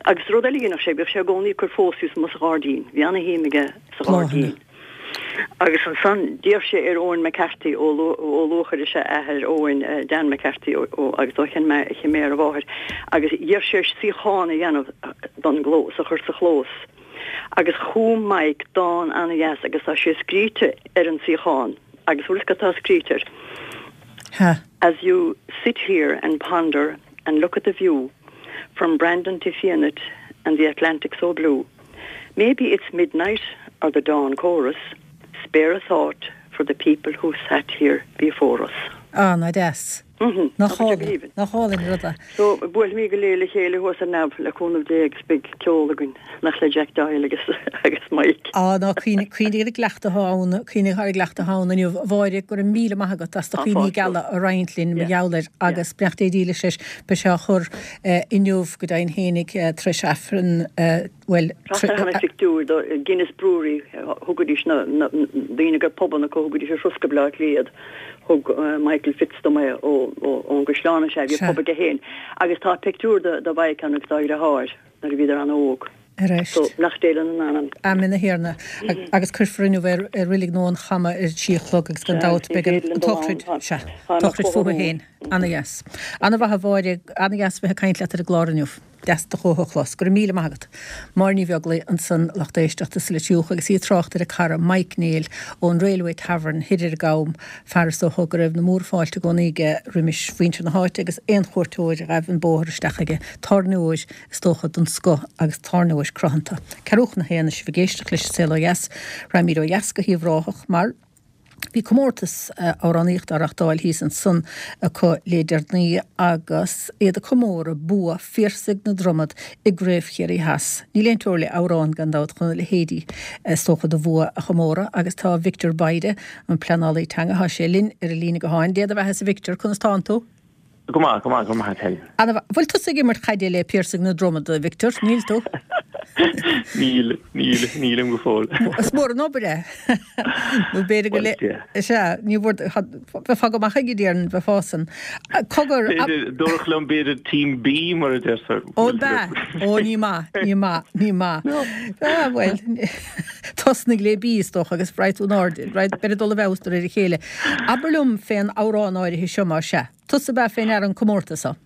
agus rud eile a dhéanadh sé, bhíodh sé i gcónaí ag cur phóstaí amuigh sa ghairdín. Bhí ana-shuim aige sa ghairdín. Agus ansan d'iarr sé ar Eoin McCarthy ó Luachair is ea athair Eoin, Dan McCarthy ó agus ó Chinn Méar a mháthair, agus d'iarr sé air suíochán a dhéanamh don gclós, a chur sa chlós. Agus chum Mike dán ana-dheas agus tá sé scríte ar an suíochán agus bhfuil fhios agat cad tá scríte air? Ha. As you sit here and ponder and look at the view from Brandon to Fianait and the Atlantic so blue Maybe it's midnight or the dawn chorus Spare a thought for the people who sat here before us. Ah, nach deas. Nach álainn, nach álainn an rud é. So, buailfimid go léir le chéile thuas ar neamh, le cúnamh Dé, agus beidh ceol againn, nach le Jack Doyle agus agus Mike. Ah, ná cuimhnigh, cuimhnigh ar an gcleachtadh atá ann, cuimhnigh ar an gcleachtadh atá ann inniu. A Mháire, go raibh míle maith agat as do chuimhní geala a roinnt linn, mar gheall air, agus beannacht Dé dílis leis, beidh sé á chur inniu go deimhin fhéinig tar éis Aifreann, bhuel, Trasna cheana phictiúir do Guinness Brewery, thugaidís na daoine go raibh pubanna acu, thugaidís ar thuras go Baile Átha Cliath iad. Thug Michael Fitz dom é ón gCaisleán, is ea, bhí pub aige féin. Agus tá pictiúr de Mhaidhc ann agus dá dheartháir nuair a bhíodar an-óg. Ar So, beannacht Dé lena n-anam. Amen a Thiarna. Agus cuirfear inniu é i Reilig na hAbhann Cama ar a trí a chlog agus gan dabht beidh an tsochraid, sea, tsochraid fúthu féin. Ana-dheas. Ana-mhaith a Mháire, ana-dheas bheith ag caint leat ar an gclár inniu. Deas do ghuth a chlos. Go raibh míle maith agat. Máire Ní Bheaglaoi ansan, lucht éisteachta sa Leitir agus í ag trácht ar a cara Mike Néill ón Railway Tavern thoir ar an gCam, fear is dócha go raibh na mórfháilte i gcónaí aige roimis mhuintir na háite agus aon chuairteoir a ghaibh an bóthar isteach aige. Tábhairneoir is dócha den scoth agus tábhairneoir cruthanta. Ceathrú chun a haon is sibh ag éisteacht leis an Saol Ó Dheas. Raghaimid ó dheas go hUíbh Ráthach mar. Bhí comórtas amhránaíochta á reachtáil thíos ansan acu le deireanaí agus iad ag comóradh bua Phiarsaigh na Dromad i gCraobh Chiarraí Theas. Níl aon teora le amhrán gan dabht chun a leithéidí is dócha de bhua a chomóradh agus tá Victor Bayda, an pleanálaí teanga, tá sé linn ar an líne gutháin. Dé do bheathasa a Victor, conas tánn tú? Go maith, go maith, go maith Helen. Ana mhaith. Bhfuil tusa ag imirt chaide le Piarsaigh na Dromad, a Victor? Níl tú? Níl, níl, nílim go fóill. Is mór an obair é. Nó b'fhéidir go le... Sea, ní bhfuair... Bheifeá go maith aige, déarfainn, bheifeá san. Cogar... B'fhéidir, dúradh liom b'fhéidir Team B mar a deirtear. Ó, ab ea? Ó, ní maith, ní maith, ní maith. Ah, bhuel, tosnaigh le B is dócha agus raghaidh tú in airde, beidh ag dul i bhfeabhas de réir a chéile. Abair liom fén amhrán áirithe seo, más ea. Tusa ab ea fé ndeara an comórtas seo?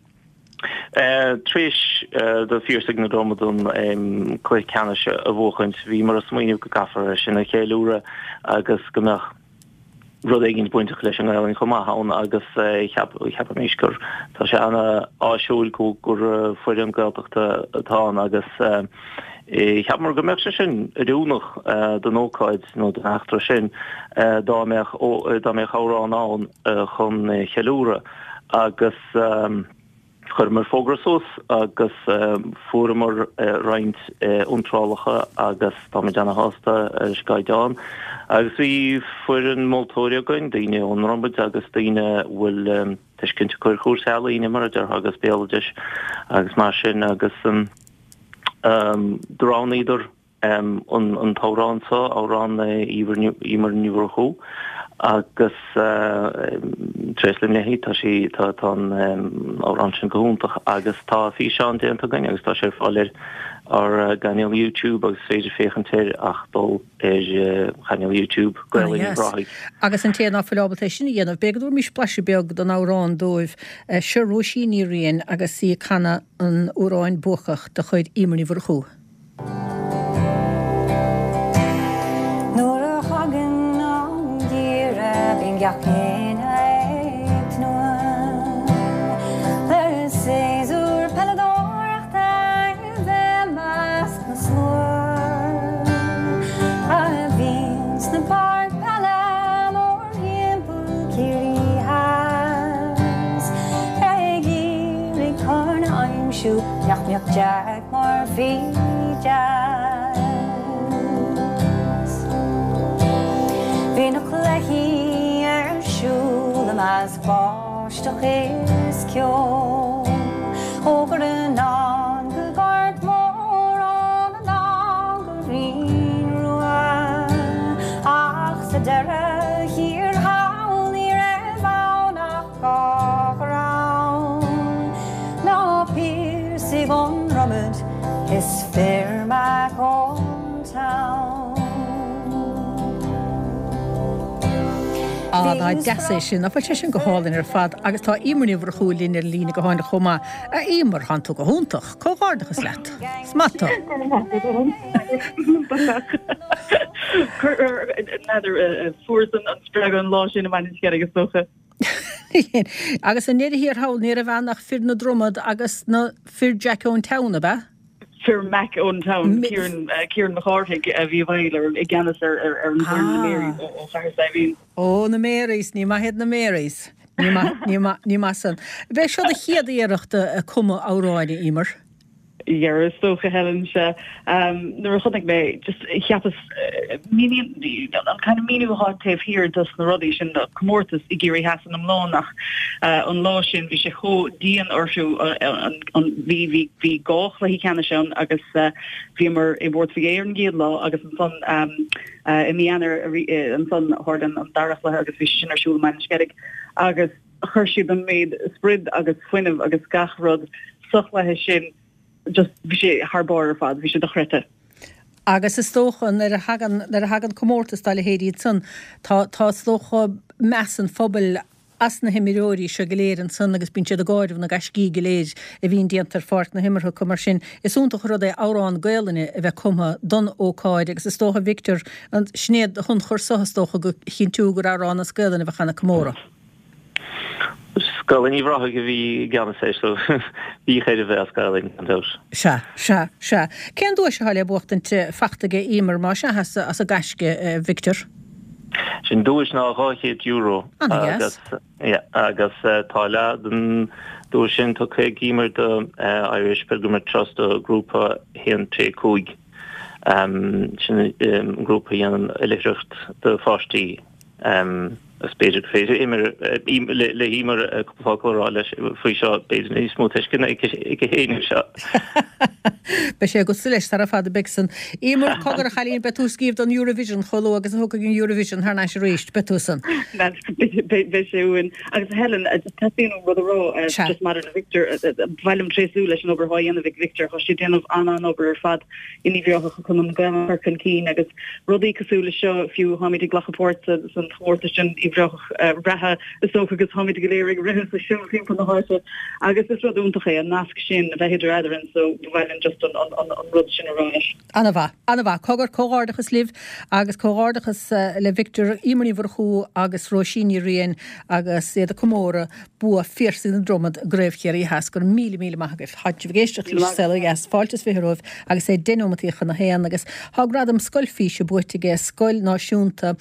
Tar éis do Phiarsaigh na Dromad an cluiche ceannais a bhuachaint, bhíomar ag smaoineamh go gcaithfear é sin a cheiliúradh agus go mbeadh rud éigin bainteach leis an nGaelainn chomh maith ann agus cheapaimis gur tá sé ana-áisiúil gur foireann Gaeltachta atá ann agus cheapamar go mbeadh sé sin oiriúnach don ócáid nó don eachtra sin dá mbeadh dá mbeadh amhrán ann chun cheiliúradh agus chuireamar fógra suas agus fuaireamar roinnt iontrálacha agus táimid ana-shásta leis an gcaighdeán. Agus bhí foireann moltóirí againn, daoine ón nDromaid agus daoine a bhfuil tuiscint acu ar chúrsaí ealaíne mar a déarfá agus béaloidis agus mar sin agus do roghnaíodar an t-amhrán seo, amhrán Emer Ní Mhurchú, agus tréaslaím léi, tá sí, tá an amhrán sin go hiontach agus tá físeán déanta againn agus tá sé ar fáil ar ár gcainéal YouTube agus is féidir féachaint air ach dul ar chainéal YouTube Gael Linn Uíbh Ráthaigh. Agus an té ná fuil ábalta é sin a dhéanamh, b'fhéidir go dtabharfaimis blaiseadh beag den amhrán dóibh. Seo Róisín Ní Riain agus í ag canadh an amhráin buacach de chuid Emer Ní Mhurchú. Nuair a thagann an geimhreadh bíonn gach éinne ag tnúth le séasúr peileadóireachta a bheith i measc na slua a bhíonn sna páirc peile mórthimpeall Ciarraí Theas ag iarraidh corn a aimsiú nach mbeadh Jack Murphy deas. Bhí na cluichí ar siúl i measc báisteach is ceo ó Ghreanán go Gort Mór anonn go Rinn Rua ach sa deireadh thiar thall ní raibh ann ach Dhá dhream ná Piarsaigh ón nDromaid is fir Mac ón town. Nach deas é sin, nach bhfuil sé sin go hálainn ar fad agus tá Eimear Ní Mhurchú linn ar an líne gutháin chomh maith. A Eimear, thánn tú go hiontach. Comhghairdeachas leat. Is maith tú. N'fheadar, fuaireas an spreagadh an lá sin i mBaile an Sceilg is dócha. Agus i ndeireadh thiar thall ní raibh ann ach fir na Dromad agus na fir Jack ón Town, ab ea? Fir Mac ón Town, Kieran Kieran Mac Cárthaigh a bhí i bhfeighil i gceannas ar ar an bhfoireann na Marys ó Chathair Saidhbhín. Ó, na Marys, ní maith iad na Marys. Ní maith, ní maith, ní maith san. B'é seo do chéad iarracht ag cumadh amhráin, a Eimear? Yeah, is dócha, Helen, sea. Nuair a chonaic mé, just cheapas, míníonn, an kind of míniú atá taobh thiar dos na rudaí sin, comórtas i gCiarraí Theas san iomlán ach an lá sin bhí sé chomh dian orthu, an, bhí, bhí, bhí dhá chluiche ceannais ann agus bhíomar i bPort Mhig Aodha ar an gcéad lá agus ansan i mí Eanáir ansan tharla an dara chluiche agus bhí sé sin ar siúl i mBaile an Sceilg agus chuir siad an méid sprid agus fuinneamh agus gach rud sa chluiche sin, just bhí sé thar barr ar fad, bhí sé dochreidte. Agus is dócha nuair a thagann, nuair a thagann comórtas dá leithéid iad san, tá, tá is dócha meas an phobail as na himreoirí seo go léir ansan agus bíonn siad ag áireamh na gaiscí go léir a bhíonn déanta ar pháirc na himeartha acu. Mar sin, is iontach an rud é amhrán Gaelainne a bheith cumtha don ócáid agus is dócha, Victor, sin é do thionchar so is dócha go chinntiú gur amhrán as Gaelainn a bheadh ann ag comóradh. Scoil in Uíbh Ráthaigh a bhí i gceannas air so bhí air a bheith as Gaelainn, gan dabht. Sea, sea, sea. Cén duais atá le buachtaint fachta aige Eimear, más ea, as a gaisce, a Victor? Sin duais ná €200 agus yeah, agus tá leath den duais sin tugtha ag Eimear do Irish Pilgrimage Trust do grúpa 1 3 5. Sin grúpa a dhéanann oilithreacht do pháistí. Agus b'fhéidir gur féidir le hEimear cúpla focal a rá leis faoi seo, b'fhéidir níos mó tuisceana aici féin air seo. Beidh sé agatsa leis sara fada beidh san. Eimear, cogar a chailín, beidh tú ag scríobh don Eurovision chomh luath agus a thiocfaidh an Eurovision thar n-ais arís, beidh tú san. Beidh sé uainn. Agus Helen, teastaíonn uaim rud a rá, just maidir le Victor, ba mhaith liom tréaslú leis an obair atá á dhéanamh ag Victor, tá sé ag déanamh an-an-obair ar fad. in Uíbh Ráthach chun an Ghaelainn a chur chun cinn agus rudaí cosúil leis seo, fiú táimid ag glacadh páirt san chomórtas sin Uíbh Ráthach reatha is dócha agus táimid go léir ag rith is ag siúl timpeall na háite agus is rud iontach é an nasc sin a bheith idir eadrainn so ba mhaith linn just an an rud sin a rá leis. An-mhaith, an-mhaith. Cogar, comhghairdeachas libh agus comhghairdeachas le Victor, Eimear Ní Mhurchú agus Róisín Ní Riain agus iad ag comóradh bua Phiarsaigh na Dromad i gCraobh Chiarraí Theas. Go raibh míle, míle maith agaibh. Tá sibh ag éisteacht leis An Saol Ó Dheas. Fáilte is 20 romhaibh agus é 10 nóimeataí chun a haon agus tá gradam Scoil Físe buaite aige Scoil Náisiúnta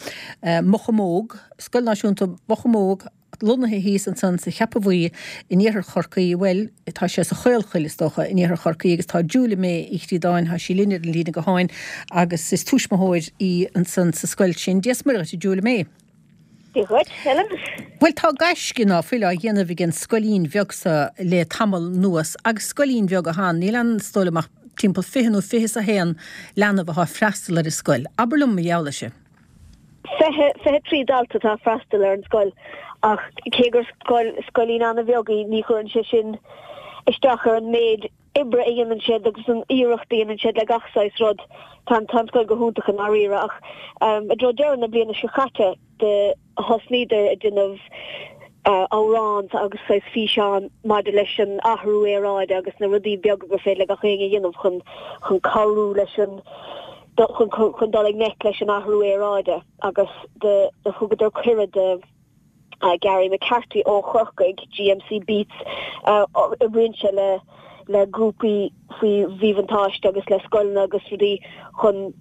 Mochomóg, Scoil Náisiúnta Mhochomóg lonnaithe thíos ansan sa Cheapaigh Bhuí in iarthar Chorcaí, bhuel, tá sé sa Chaolchoill is dócha, in iarthar Chorcaí agus tá Julia May Uí Chríodáin, tá sí linn ar an líne gutháin agus is tuismitheoir í ansan sa scoil sin. Dia 's Muire dhuit, a Julia May. Dia dhuit, Helen. Bhuel, tá gaisce ná fuil á dhéanamh ag an scoilín bheag so le tamall anuas, agus scoilín bheag atá ann, níl ann is dóigh liom ach timpeall 20 nó 21 leanbh atá ag freastal ar an scoil. Abair liom mar gheall air sin. 23 dalta atá ag freastal ar an scoil ach cé gur scoil, scoilín an-bheag í, ní chuireann sé sin isteach ar an méid oibre a dhéanann siad agus an iarracht a dhéanann siad le gach saghas rud. Tá an tá an scoil go hiontach i ndáiríre ach i dtreo deireadh na bliana seo caite do thosnaíodar ag déanamh amhrán agus saghas físeán maidir leis an athrú aeráide agus na rudaí beaga gur féidir le gach éinne a dhéanamh chun chun cabhrú leis an chun chun dul i ngleic leis an athrú aeráide agus do do thugadar cuireadh do Gary McCarthy ó Chorcaigh, GMC Beats, oibríonn sé le le grúpaí faoi mhíbhuntáiste agus le scoileanna agus rudaí chun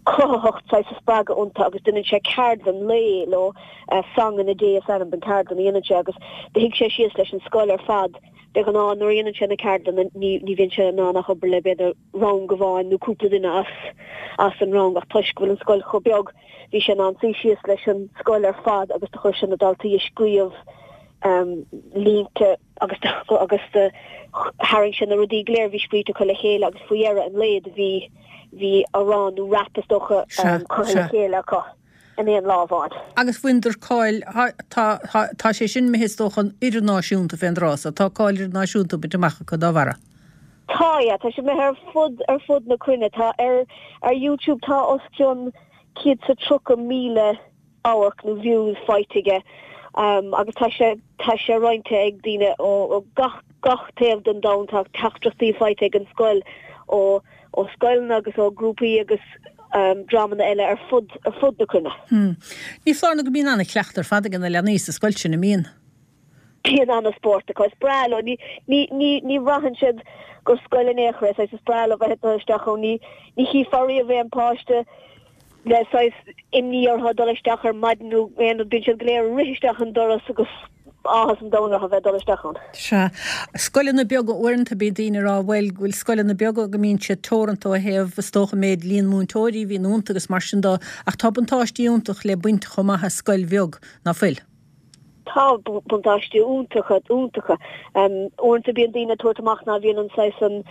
cruthaitheacht saghas a spreagadh iontu agus déanann sé ceardlann lae leo, Song in a Day is ainm don ceardlann a dhéanann sé agus do shuigh sé síos leis an scoil ar fad. De ghnáth nuair a dhéanann sé na ceardlanna ní ní bhíonn sé in ann ach obair le b'fhéidir rang amháin nó cúpla duine as as an rang ach toisc go bhfuil an scoil chomh beag bhí sé in ann suí síos leis an scoil ar fad agus do chuir sé na daltaí ag scríobh línte agus agus do tharraing sé na rudaí go léir a bhí scríte acu le chéile agus faoi dheireadh an lae do bhí bhí amhrán nó rap is dócha curtha le chéile acu in aon lá amháin. Agus bhaineadar cáil, tá, tá, tá sé sin imithe is dócha idirnáisiúnta fén dtráth so, tá cáil idirnáisiúnta bainte amach acu dá bharra. Tá, yeah, tá sé imithe ar fud, ar fud na cruinne. Tá ar, ar YouTube tá os cionn 130,000. amharc nó views faighte aige agus tá sé tá sé roinnte ag daoine ó gach gach taobh den domhan. Tá teachtaireachtaí faighte ag an scoil ó ó scoileanna agus ó grúpaí agus dreamanna eile ar fud ar fud na cruinne. Ní foláir nó go mbíonn an-chleachtadh ar fad ag na leanaí sa scoil sin, an mbíonn? Bíonn an-spórt acu. Is breá leo. Ní ní ní ní bhraitheann siad gur scoil in aon chor é. Saghas is breá leo bheith ag dul isteach ann. Ní ní chífeá riamh aon páiste le saghas imní orthu ag dul isteach ar maidin nó aon rud. Bíonn siad go léir ag rith isteach an doras agus áthas an domhain orthu bheith ag dul isteach ann. Sea. Scoileanna beaga, uaireanta bíonn daoine ag rá, bhuel, go bhfuil scoileanna beaga go mbíonn siad teoranta ó thaobh, is dócha, méid líon múinteoirí a bhíonn iontu agus mar sin de, ach tá buntáistí iontach le baint chomh maith as scoil bheag, ná fuil? Tá buntáistí iontacha, iontacha. Uaireanta bíonn daoine ag tabhairt amach ná bhíonn an saghas an,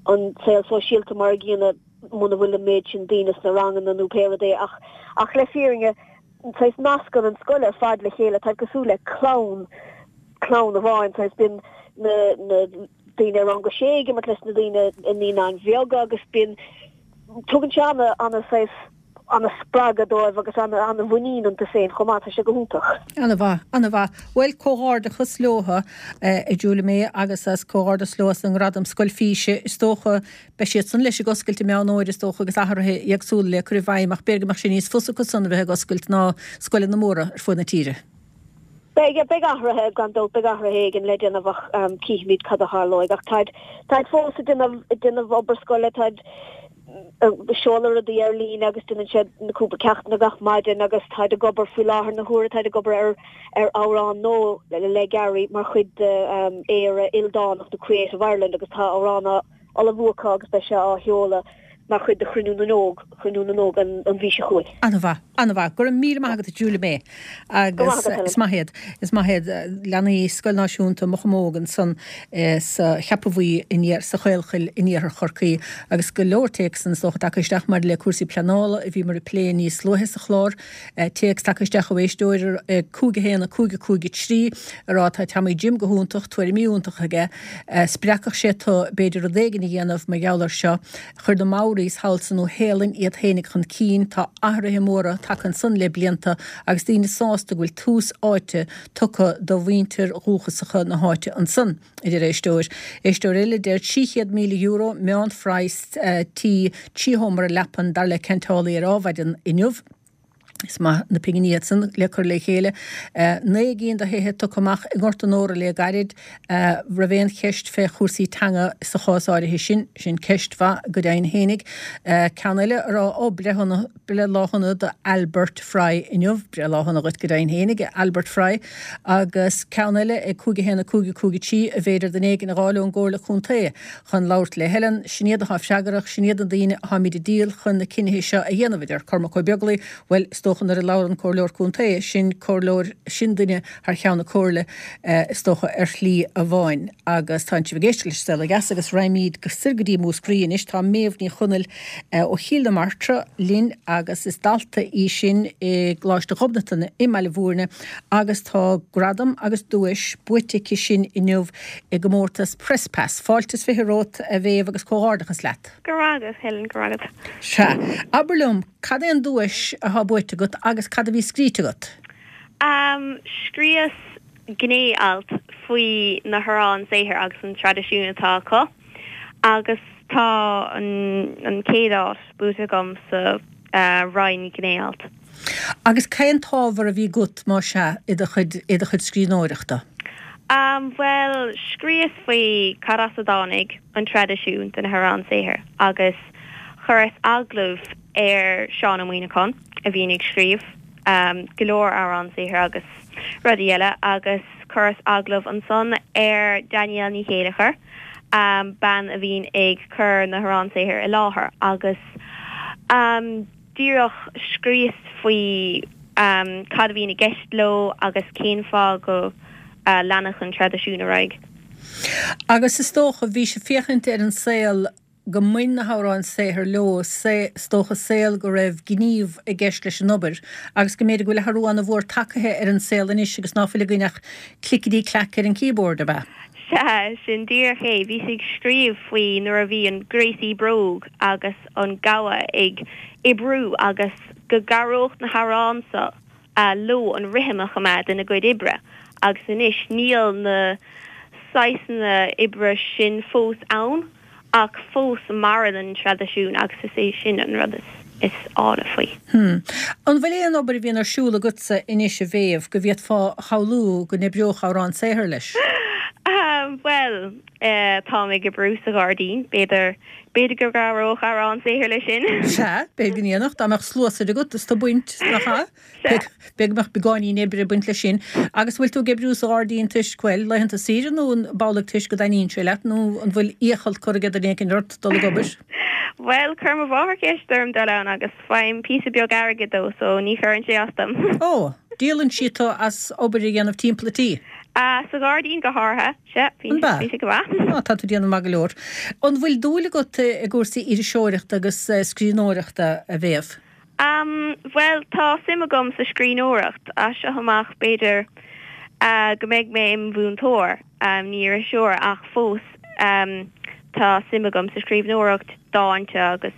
an saol sóisialta mar a gcéanna muna bhfuil an méid sin daoine sna ranganna nó pé rud é ach, ach le fírinne, saghas nascann an scoil ar fad le chéile, táid cosúil le clann, clann amháin, saghas bíonn na, na daoine i rang a sé ag imirt leis na daoine i naíonáin bheaga agus bíonn, tugann sé ana, ana saghas. ana-spreagadh dóibh agus ana-mhuinín iontu féin chomh maith. Tá sé go hiontach. Ana-mhaith, ana-mhaith. Bhuel, comhghairdeachas leotha, a Julia May, agus as comhghairdeas leo as an ngradam Scoil Físe. Is dócha, beidh siad san leis ag oscailt i Meán Fhómhair, is dócha, agus athruithe éagsúla le cur i bhfeidhm, ach b'fhéidir go mbeadh sé níos fusa acu san a bheith ag oscailt ná scoileanna móra ar fud na tíre. Beidh, beidh athruithe, gan dabht, beidh athruithe éigin le déanamh ach cífimid cad a tharlóidh. Ach táid, táid fós ag déanamh, ag déanamh obair scoile, táid ag seoladh rudaí ar líne agus déanann siad na cúpla ceachtanna gach maidin agus táid ag obair faoi láthair na huaire, táid ag obair ar, ar amhrán nua le Gary mar chuid de Éire Ildánach, nó Creative Ireland agus tá amhrán á ullmhú acu agus beidh sé á sheoladh mar chuid de Chruinniú na nÓg, Cruinniú na nÓg an mhí seo chugainn. An-mhaith, an-mhaith. Go raibh míle maith agat a Julia May. Agus is maith iad, is maith iad leanaí Scoil Náisiúnta Mochomóg ansan sa Cheapach Bhuí in sa Chaolchoill in iarthar Chorcaí. Agus go leor téacsanna is dócha tagtha isteach maidir le cúrsaí pleanála a bhíomar ag plé níos luaithe sa chlár. Téacs tagtha isteach ó éisteoir ag 5 1 5 5 3 ag rá tá Tommy Jim go hiontach, tuairimí iontacha aige. Spreagfadh sé tu b'fhéidir rud éigin a dhéanamh mar gheall air seo. Chuir na Maoris thall sa Nua Shéalainn iad fhéinig chun cinn. Tá athruithe móra tagtha ansan le blianta agus daoine sásta go bhfuil tús áite tugtha do mhuintir dhúchasacha na háite ansan, a deir éisteoir. Éisteoir eile a deir €300,000 meánphraghas tí 3 sheomra leapan dar le ceantálaí ar Adhmhaidin inniu. Is maith na pinginí iad san le cur le chéile. 9 gcinn de thithe tugtha amach i nGort an Óra le gairid. Raibh aon cheist fé chúrsaí teanga sa chás áirithe sin? Sin ceist mhaith go deimhin fhéinig. Ceann eile a rá, ó, breithlá shona do Albert Fry inniu. Breithlá shona dhuit go deimhin fhéinig, a Albert Fry. Agus ceann eile ag 5 1 5 5 3, an bhféidir duine éigin a fháil ón gComhairle Contae chun labhairt le Helen. Sin iad atá freagrach, sin iad na daoine atáimid ag díol chun na cinnithe seo a dhéanamh, a deir Cormac Ó Beaglaoi. Bhuel, is dócha nuair a labhrann Comhairleoir Contae, sin comhairleoir, sin duine thar cheann na Comhairle, is dócha, ar shlí amháin. Agus tá sibh ag éisteacht leis An Saol Ó Dheas agus raghaimid soir go dtí Múscraí anois. Tá Méabh Ní Chonaill ó Chill na Martra linn agus is dalta í sin i gColáiste Ghobnatan i mBaile Bhúirne agus tá gradam agus duais buaite aici sin inniu i gcomórtas Press Pass. Fáilte is 20 romhat, a Mhéabh, agus comhghairdeachas leat. Go raibh agat, Helen, go raibh agat. Sea. Abair liom, cad é an duais atá buaite agat agus cad a bhí scríte agat? Am, Scríos gné-alt faoi na hamhráin saothair agus an traidisiún atá acu agus tá an chéad áit buaite agam sa roinn gné-alt. Agus cén t-ábhar a bhí agat, más ea, i do chuid, i do chuid scríbhneoireachta? Am, Bhuel, scríos faoi cad as a dtáinig an traidisiún de na hamhráin saothair agus chuireas agallamh ar Seán Ó Muíneacháin a bhíonn ag scríobh go leor amhrán saothair agus rudaí eile agus chuireas agallamh ansan ar Danielle Ní Chéilleachair, bean a bhíonn ag cur na hamhráin saothair i láthair agus díreach scríos faoi cad a bhíonn i gceist leo agus cén fáth go leanfadh an traidisiún ar aghaidh. Agus is dócha, bhís ag féachaint ar an saol go mbain na hamhráin saothair leo, is dócha, saol go raibh gníomh i gceist leis an obair agus go mb'fhéidir go bhfuil athrú an-mhór tagtha ar an saol anois agus ná fuil againn ach clickety clack ar an keyboard, ab ea? Sea, sin díreach é. Bhíos ag scríobh faoi nuair a bhí an gréasaí bróg agus an gabha ag oibriú agus go gcabhródh na hamhráin seo. leo an rithim a choimeád ina gcuid oibre agus anois níl na saghsanna oibre sin fós ann ach fós maireann an traidisiún agus is é sin an rud is áille faoi. Hmm. An bhfuil aon obair a bhíonn ar siúl agatsa anois a Mhéabh go bhféadfá a shamhlú go n-oibreodh Amhrán Saothair leis? Bhuel, táim ag oibriú sa ghairdín, b'fhéidir, b'fhéidir go gcabhródh Amhrán Saothair leis sin. Sea, b'fhéidir go ndéanfadh, dá mbeadh sluasaid agat is tú ag baint, nach ea? B'fhéidir go mbeadh beagáinín oibre ag baint leis sin. Agus an bhfuil tú ag oibriú sa ghairdín toisc, bhuel, laethanta saoire nó an b'amhlaidh toisc go dtaitníonn sé leat nó an bhfuil iachall curtha ag duine éicint ort dul ag obair? Bhuel, chuir mo mháthair ceist orm dul ann agus faighim píosa beag airgid dó so ní chuireann sé as dom. Ó, díolann sí tú as obair a dhéanamh timpeall an tí? Sa ghairdín go háirithe, sea, bíonn sé go maith. Á, tá tú ag déanamh maith go leor. An bhfuil dúil agat i gcúrsaí iriseoireachta agus scríbhneoireachta, a Mhéabh? Am, bhuel, tá suim agam sa scríbhneoireacht. As seo amach, b'fhéidir go mbeidh mé im mhúinteoir, ní iriseoir, ach fós tá suim agam sa scríbhneoireacht, dánta agus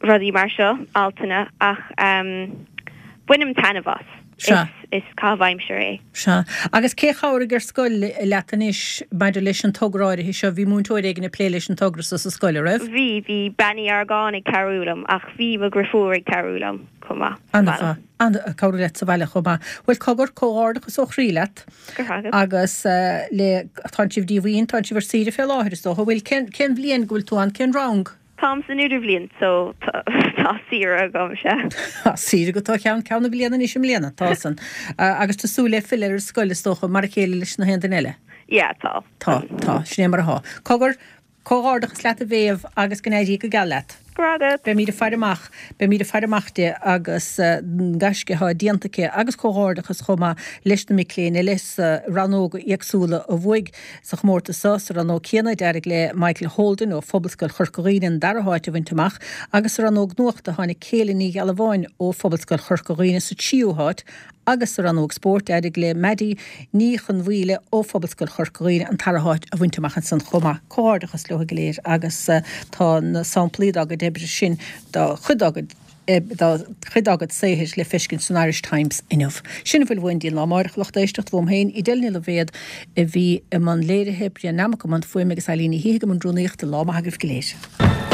rudaí mar seo, altanna, ach bainim taitneamh as. Sea. Is caitheamh aimsire é. Sea. Agus cé chabhraigh ar scoil leat anois maidir leis an togra áirithe seo? Bhí múinteoir éigin ag plé leis an togra so sa scoil, an raibh? Bhí, bhí Bean Uí Argáin ag cabhrú liom ach bhí mo dhriofúr ag cabhrú liom chomh maith sa baile. An-mhaith. An, ag cabhrú leat sa bhaile chomh maith. Bhuel, cogar, comhghairdeachas ó chroí leat. Go raibh agat. Agus le, tánn sibh díomhaoin, tánn sibh ar saoire fé láthair is dócha. Bhfuil, cén, cén bhliain go bhfuil tú ann, cén rang? Táim san idirbhliain so tá saoire agam, sea. Tá saoire agat ó cheann ceann na bliana anois i mbliana, tá san. Agus tú súil le filleadh ar an scoil is dócha, mar a chéile leis na haon duine eile? Yeah, tá. Tá, tá, sin é mar athá. Cogar, comhghairdeachas leat a Mhéabh agus go n-éirí go geal leat. Go raibh agat. Beimíd ag faire amach, beimíd ag faire amach di agus an gaisce athá déanta aici agus comhghairdeachas chomh maith leis na mic léinn eile sa rannóga éagsúla a bhuaigh Sa chomórtas seo, sa rannóg chéanna, d'éirigh le Michael Holden ó Phobalscoil Chorca Dhuibhne an dara háit a bhaint amach agus sa rannóg nuachta tháinig Céilin Ní Ghealbháin ó Phobalscoil Chorca Dhuibhne sa tríú háit agus sa rannóg spóirt d'éirigh le Maddie Ní Chonmhaoile ó Phobalscoil Chorca Dhuibhne an tara háit a bhaint amach ansan chomh maith. Comhghairdeachas leo go léir agus tá na samplaí dá gcuid oibre sin, dá chuid dá gcuid. dá chuid dá gcuid saothair le feiscint san Irish Times inniu. Sin a bhfuil uainn go dtí an lá amáireach, a lucht éisteachta, uaim féin, Edel Ní Loibhéad a bhí i mbun léirithe, Brian Nammock i mbun fuaime agus Eileen Ní Shíthigh i mbun rúnaíochta. Lá maith agaibh go léir.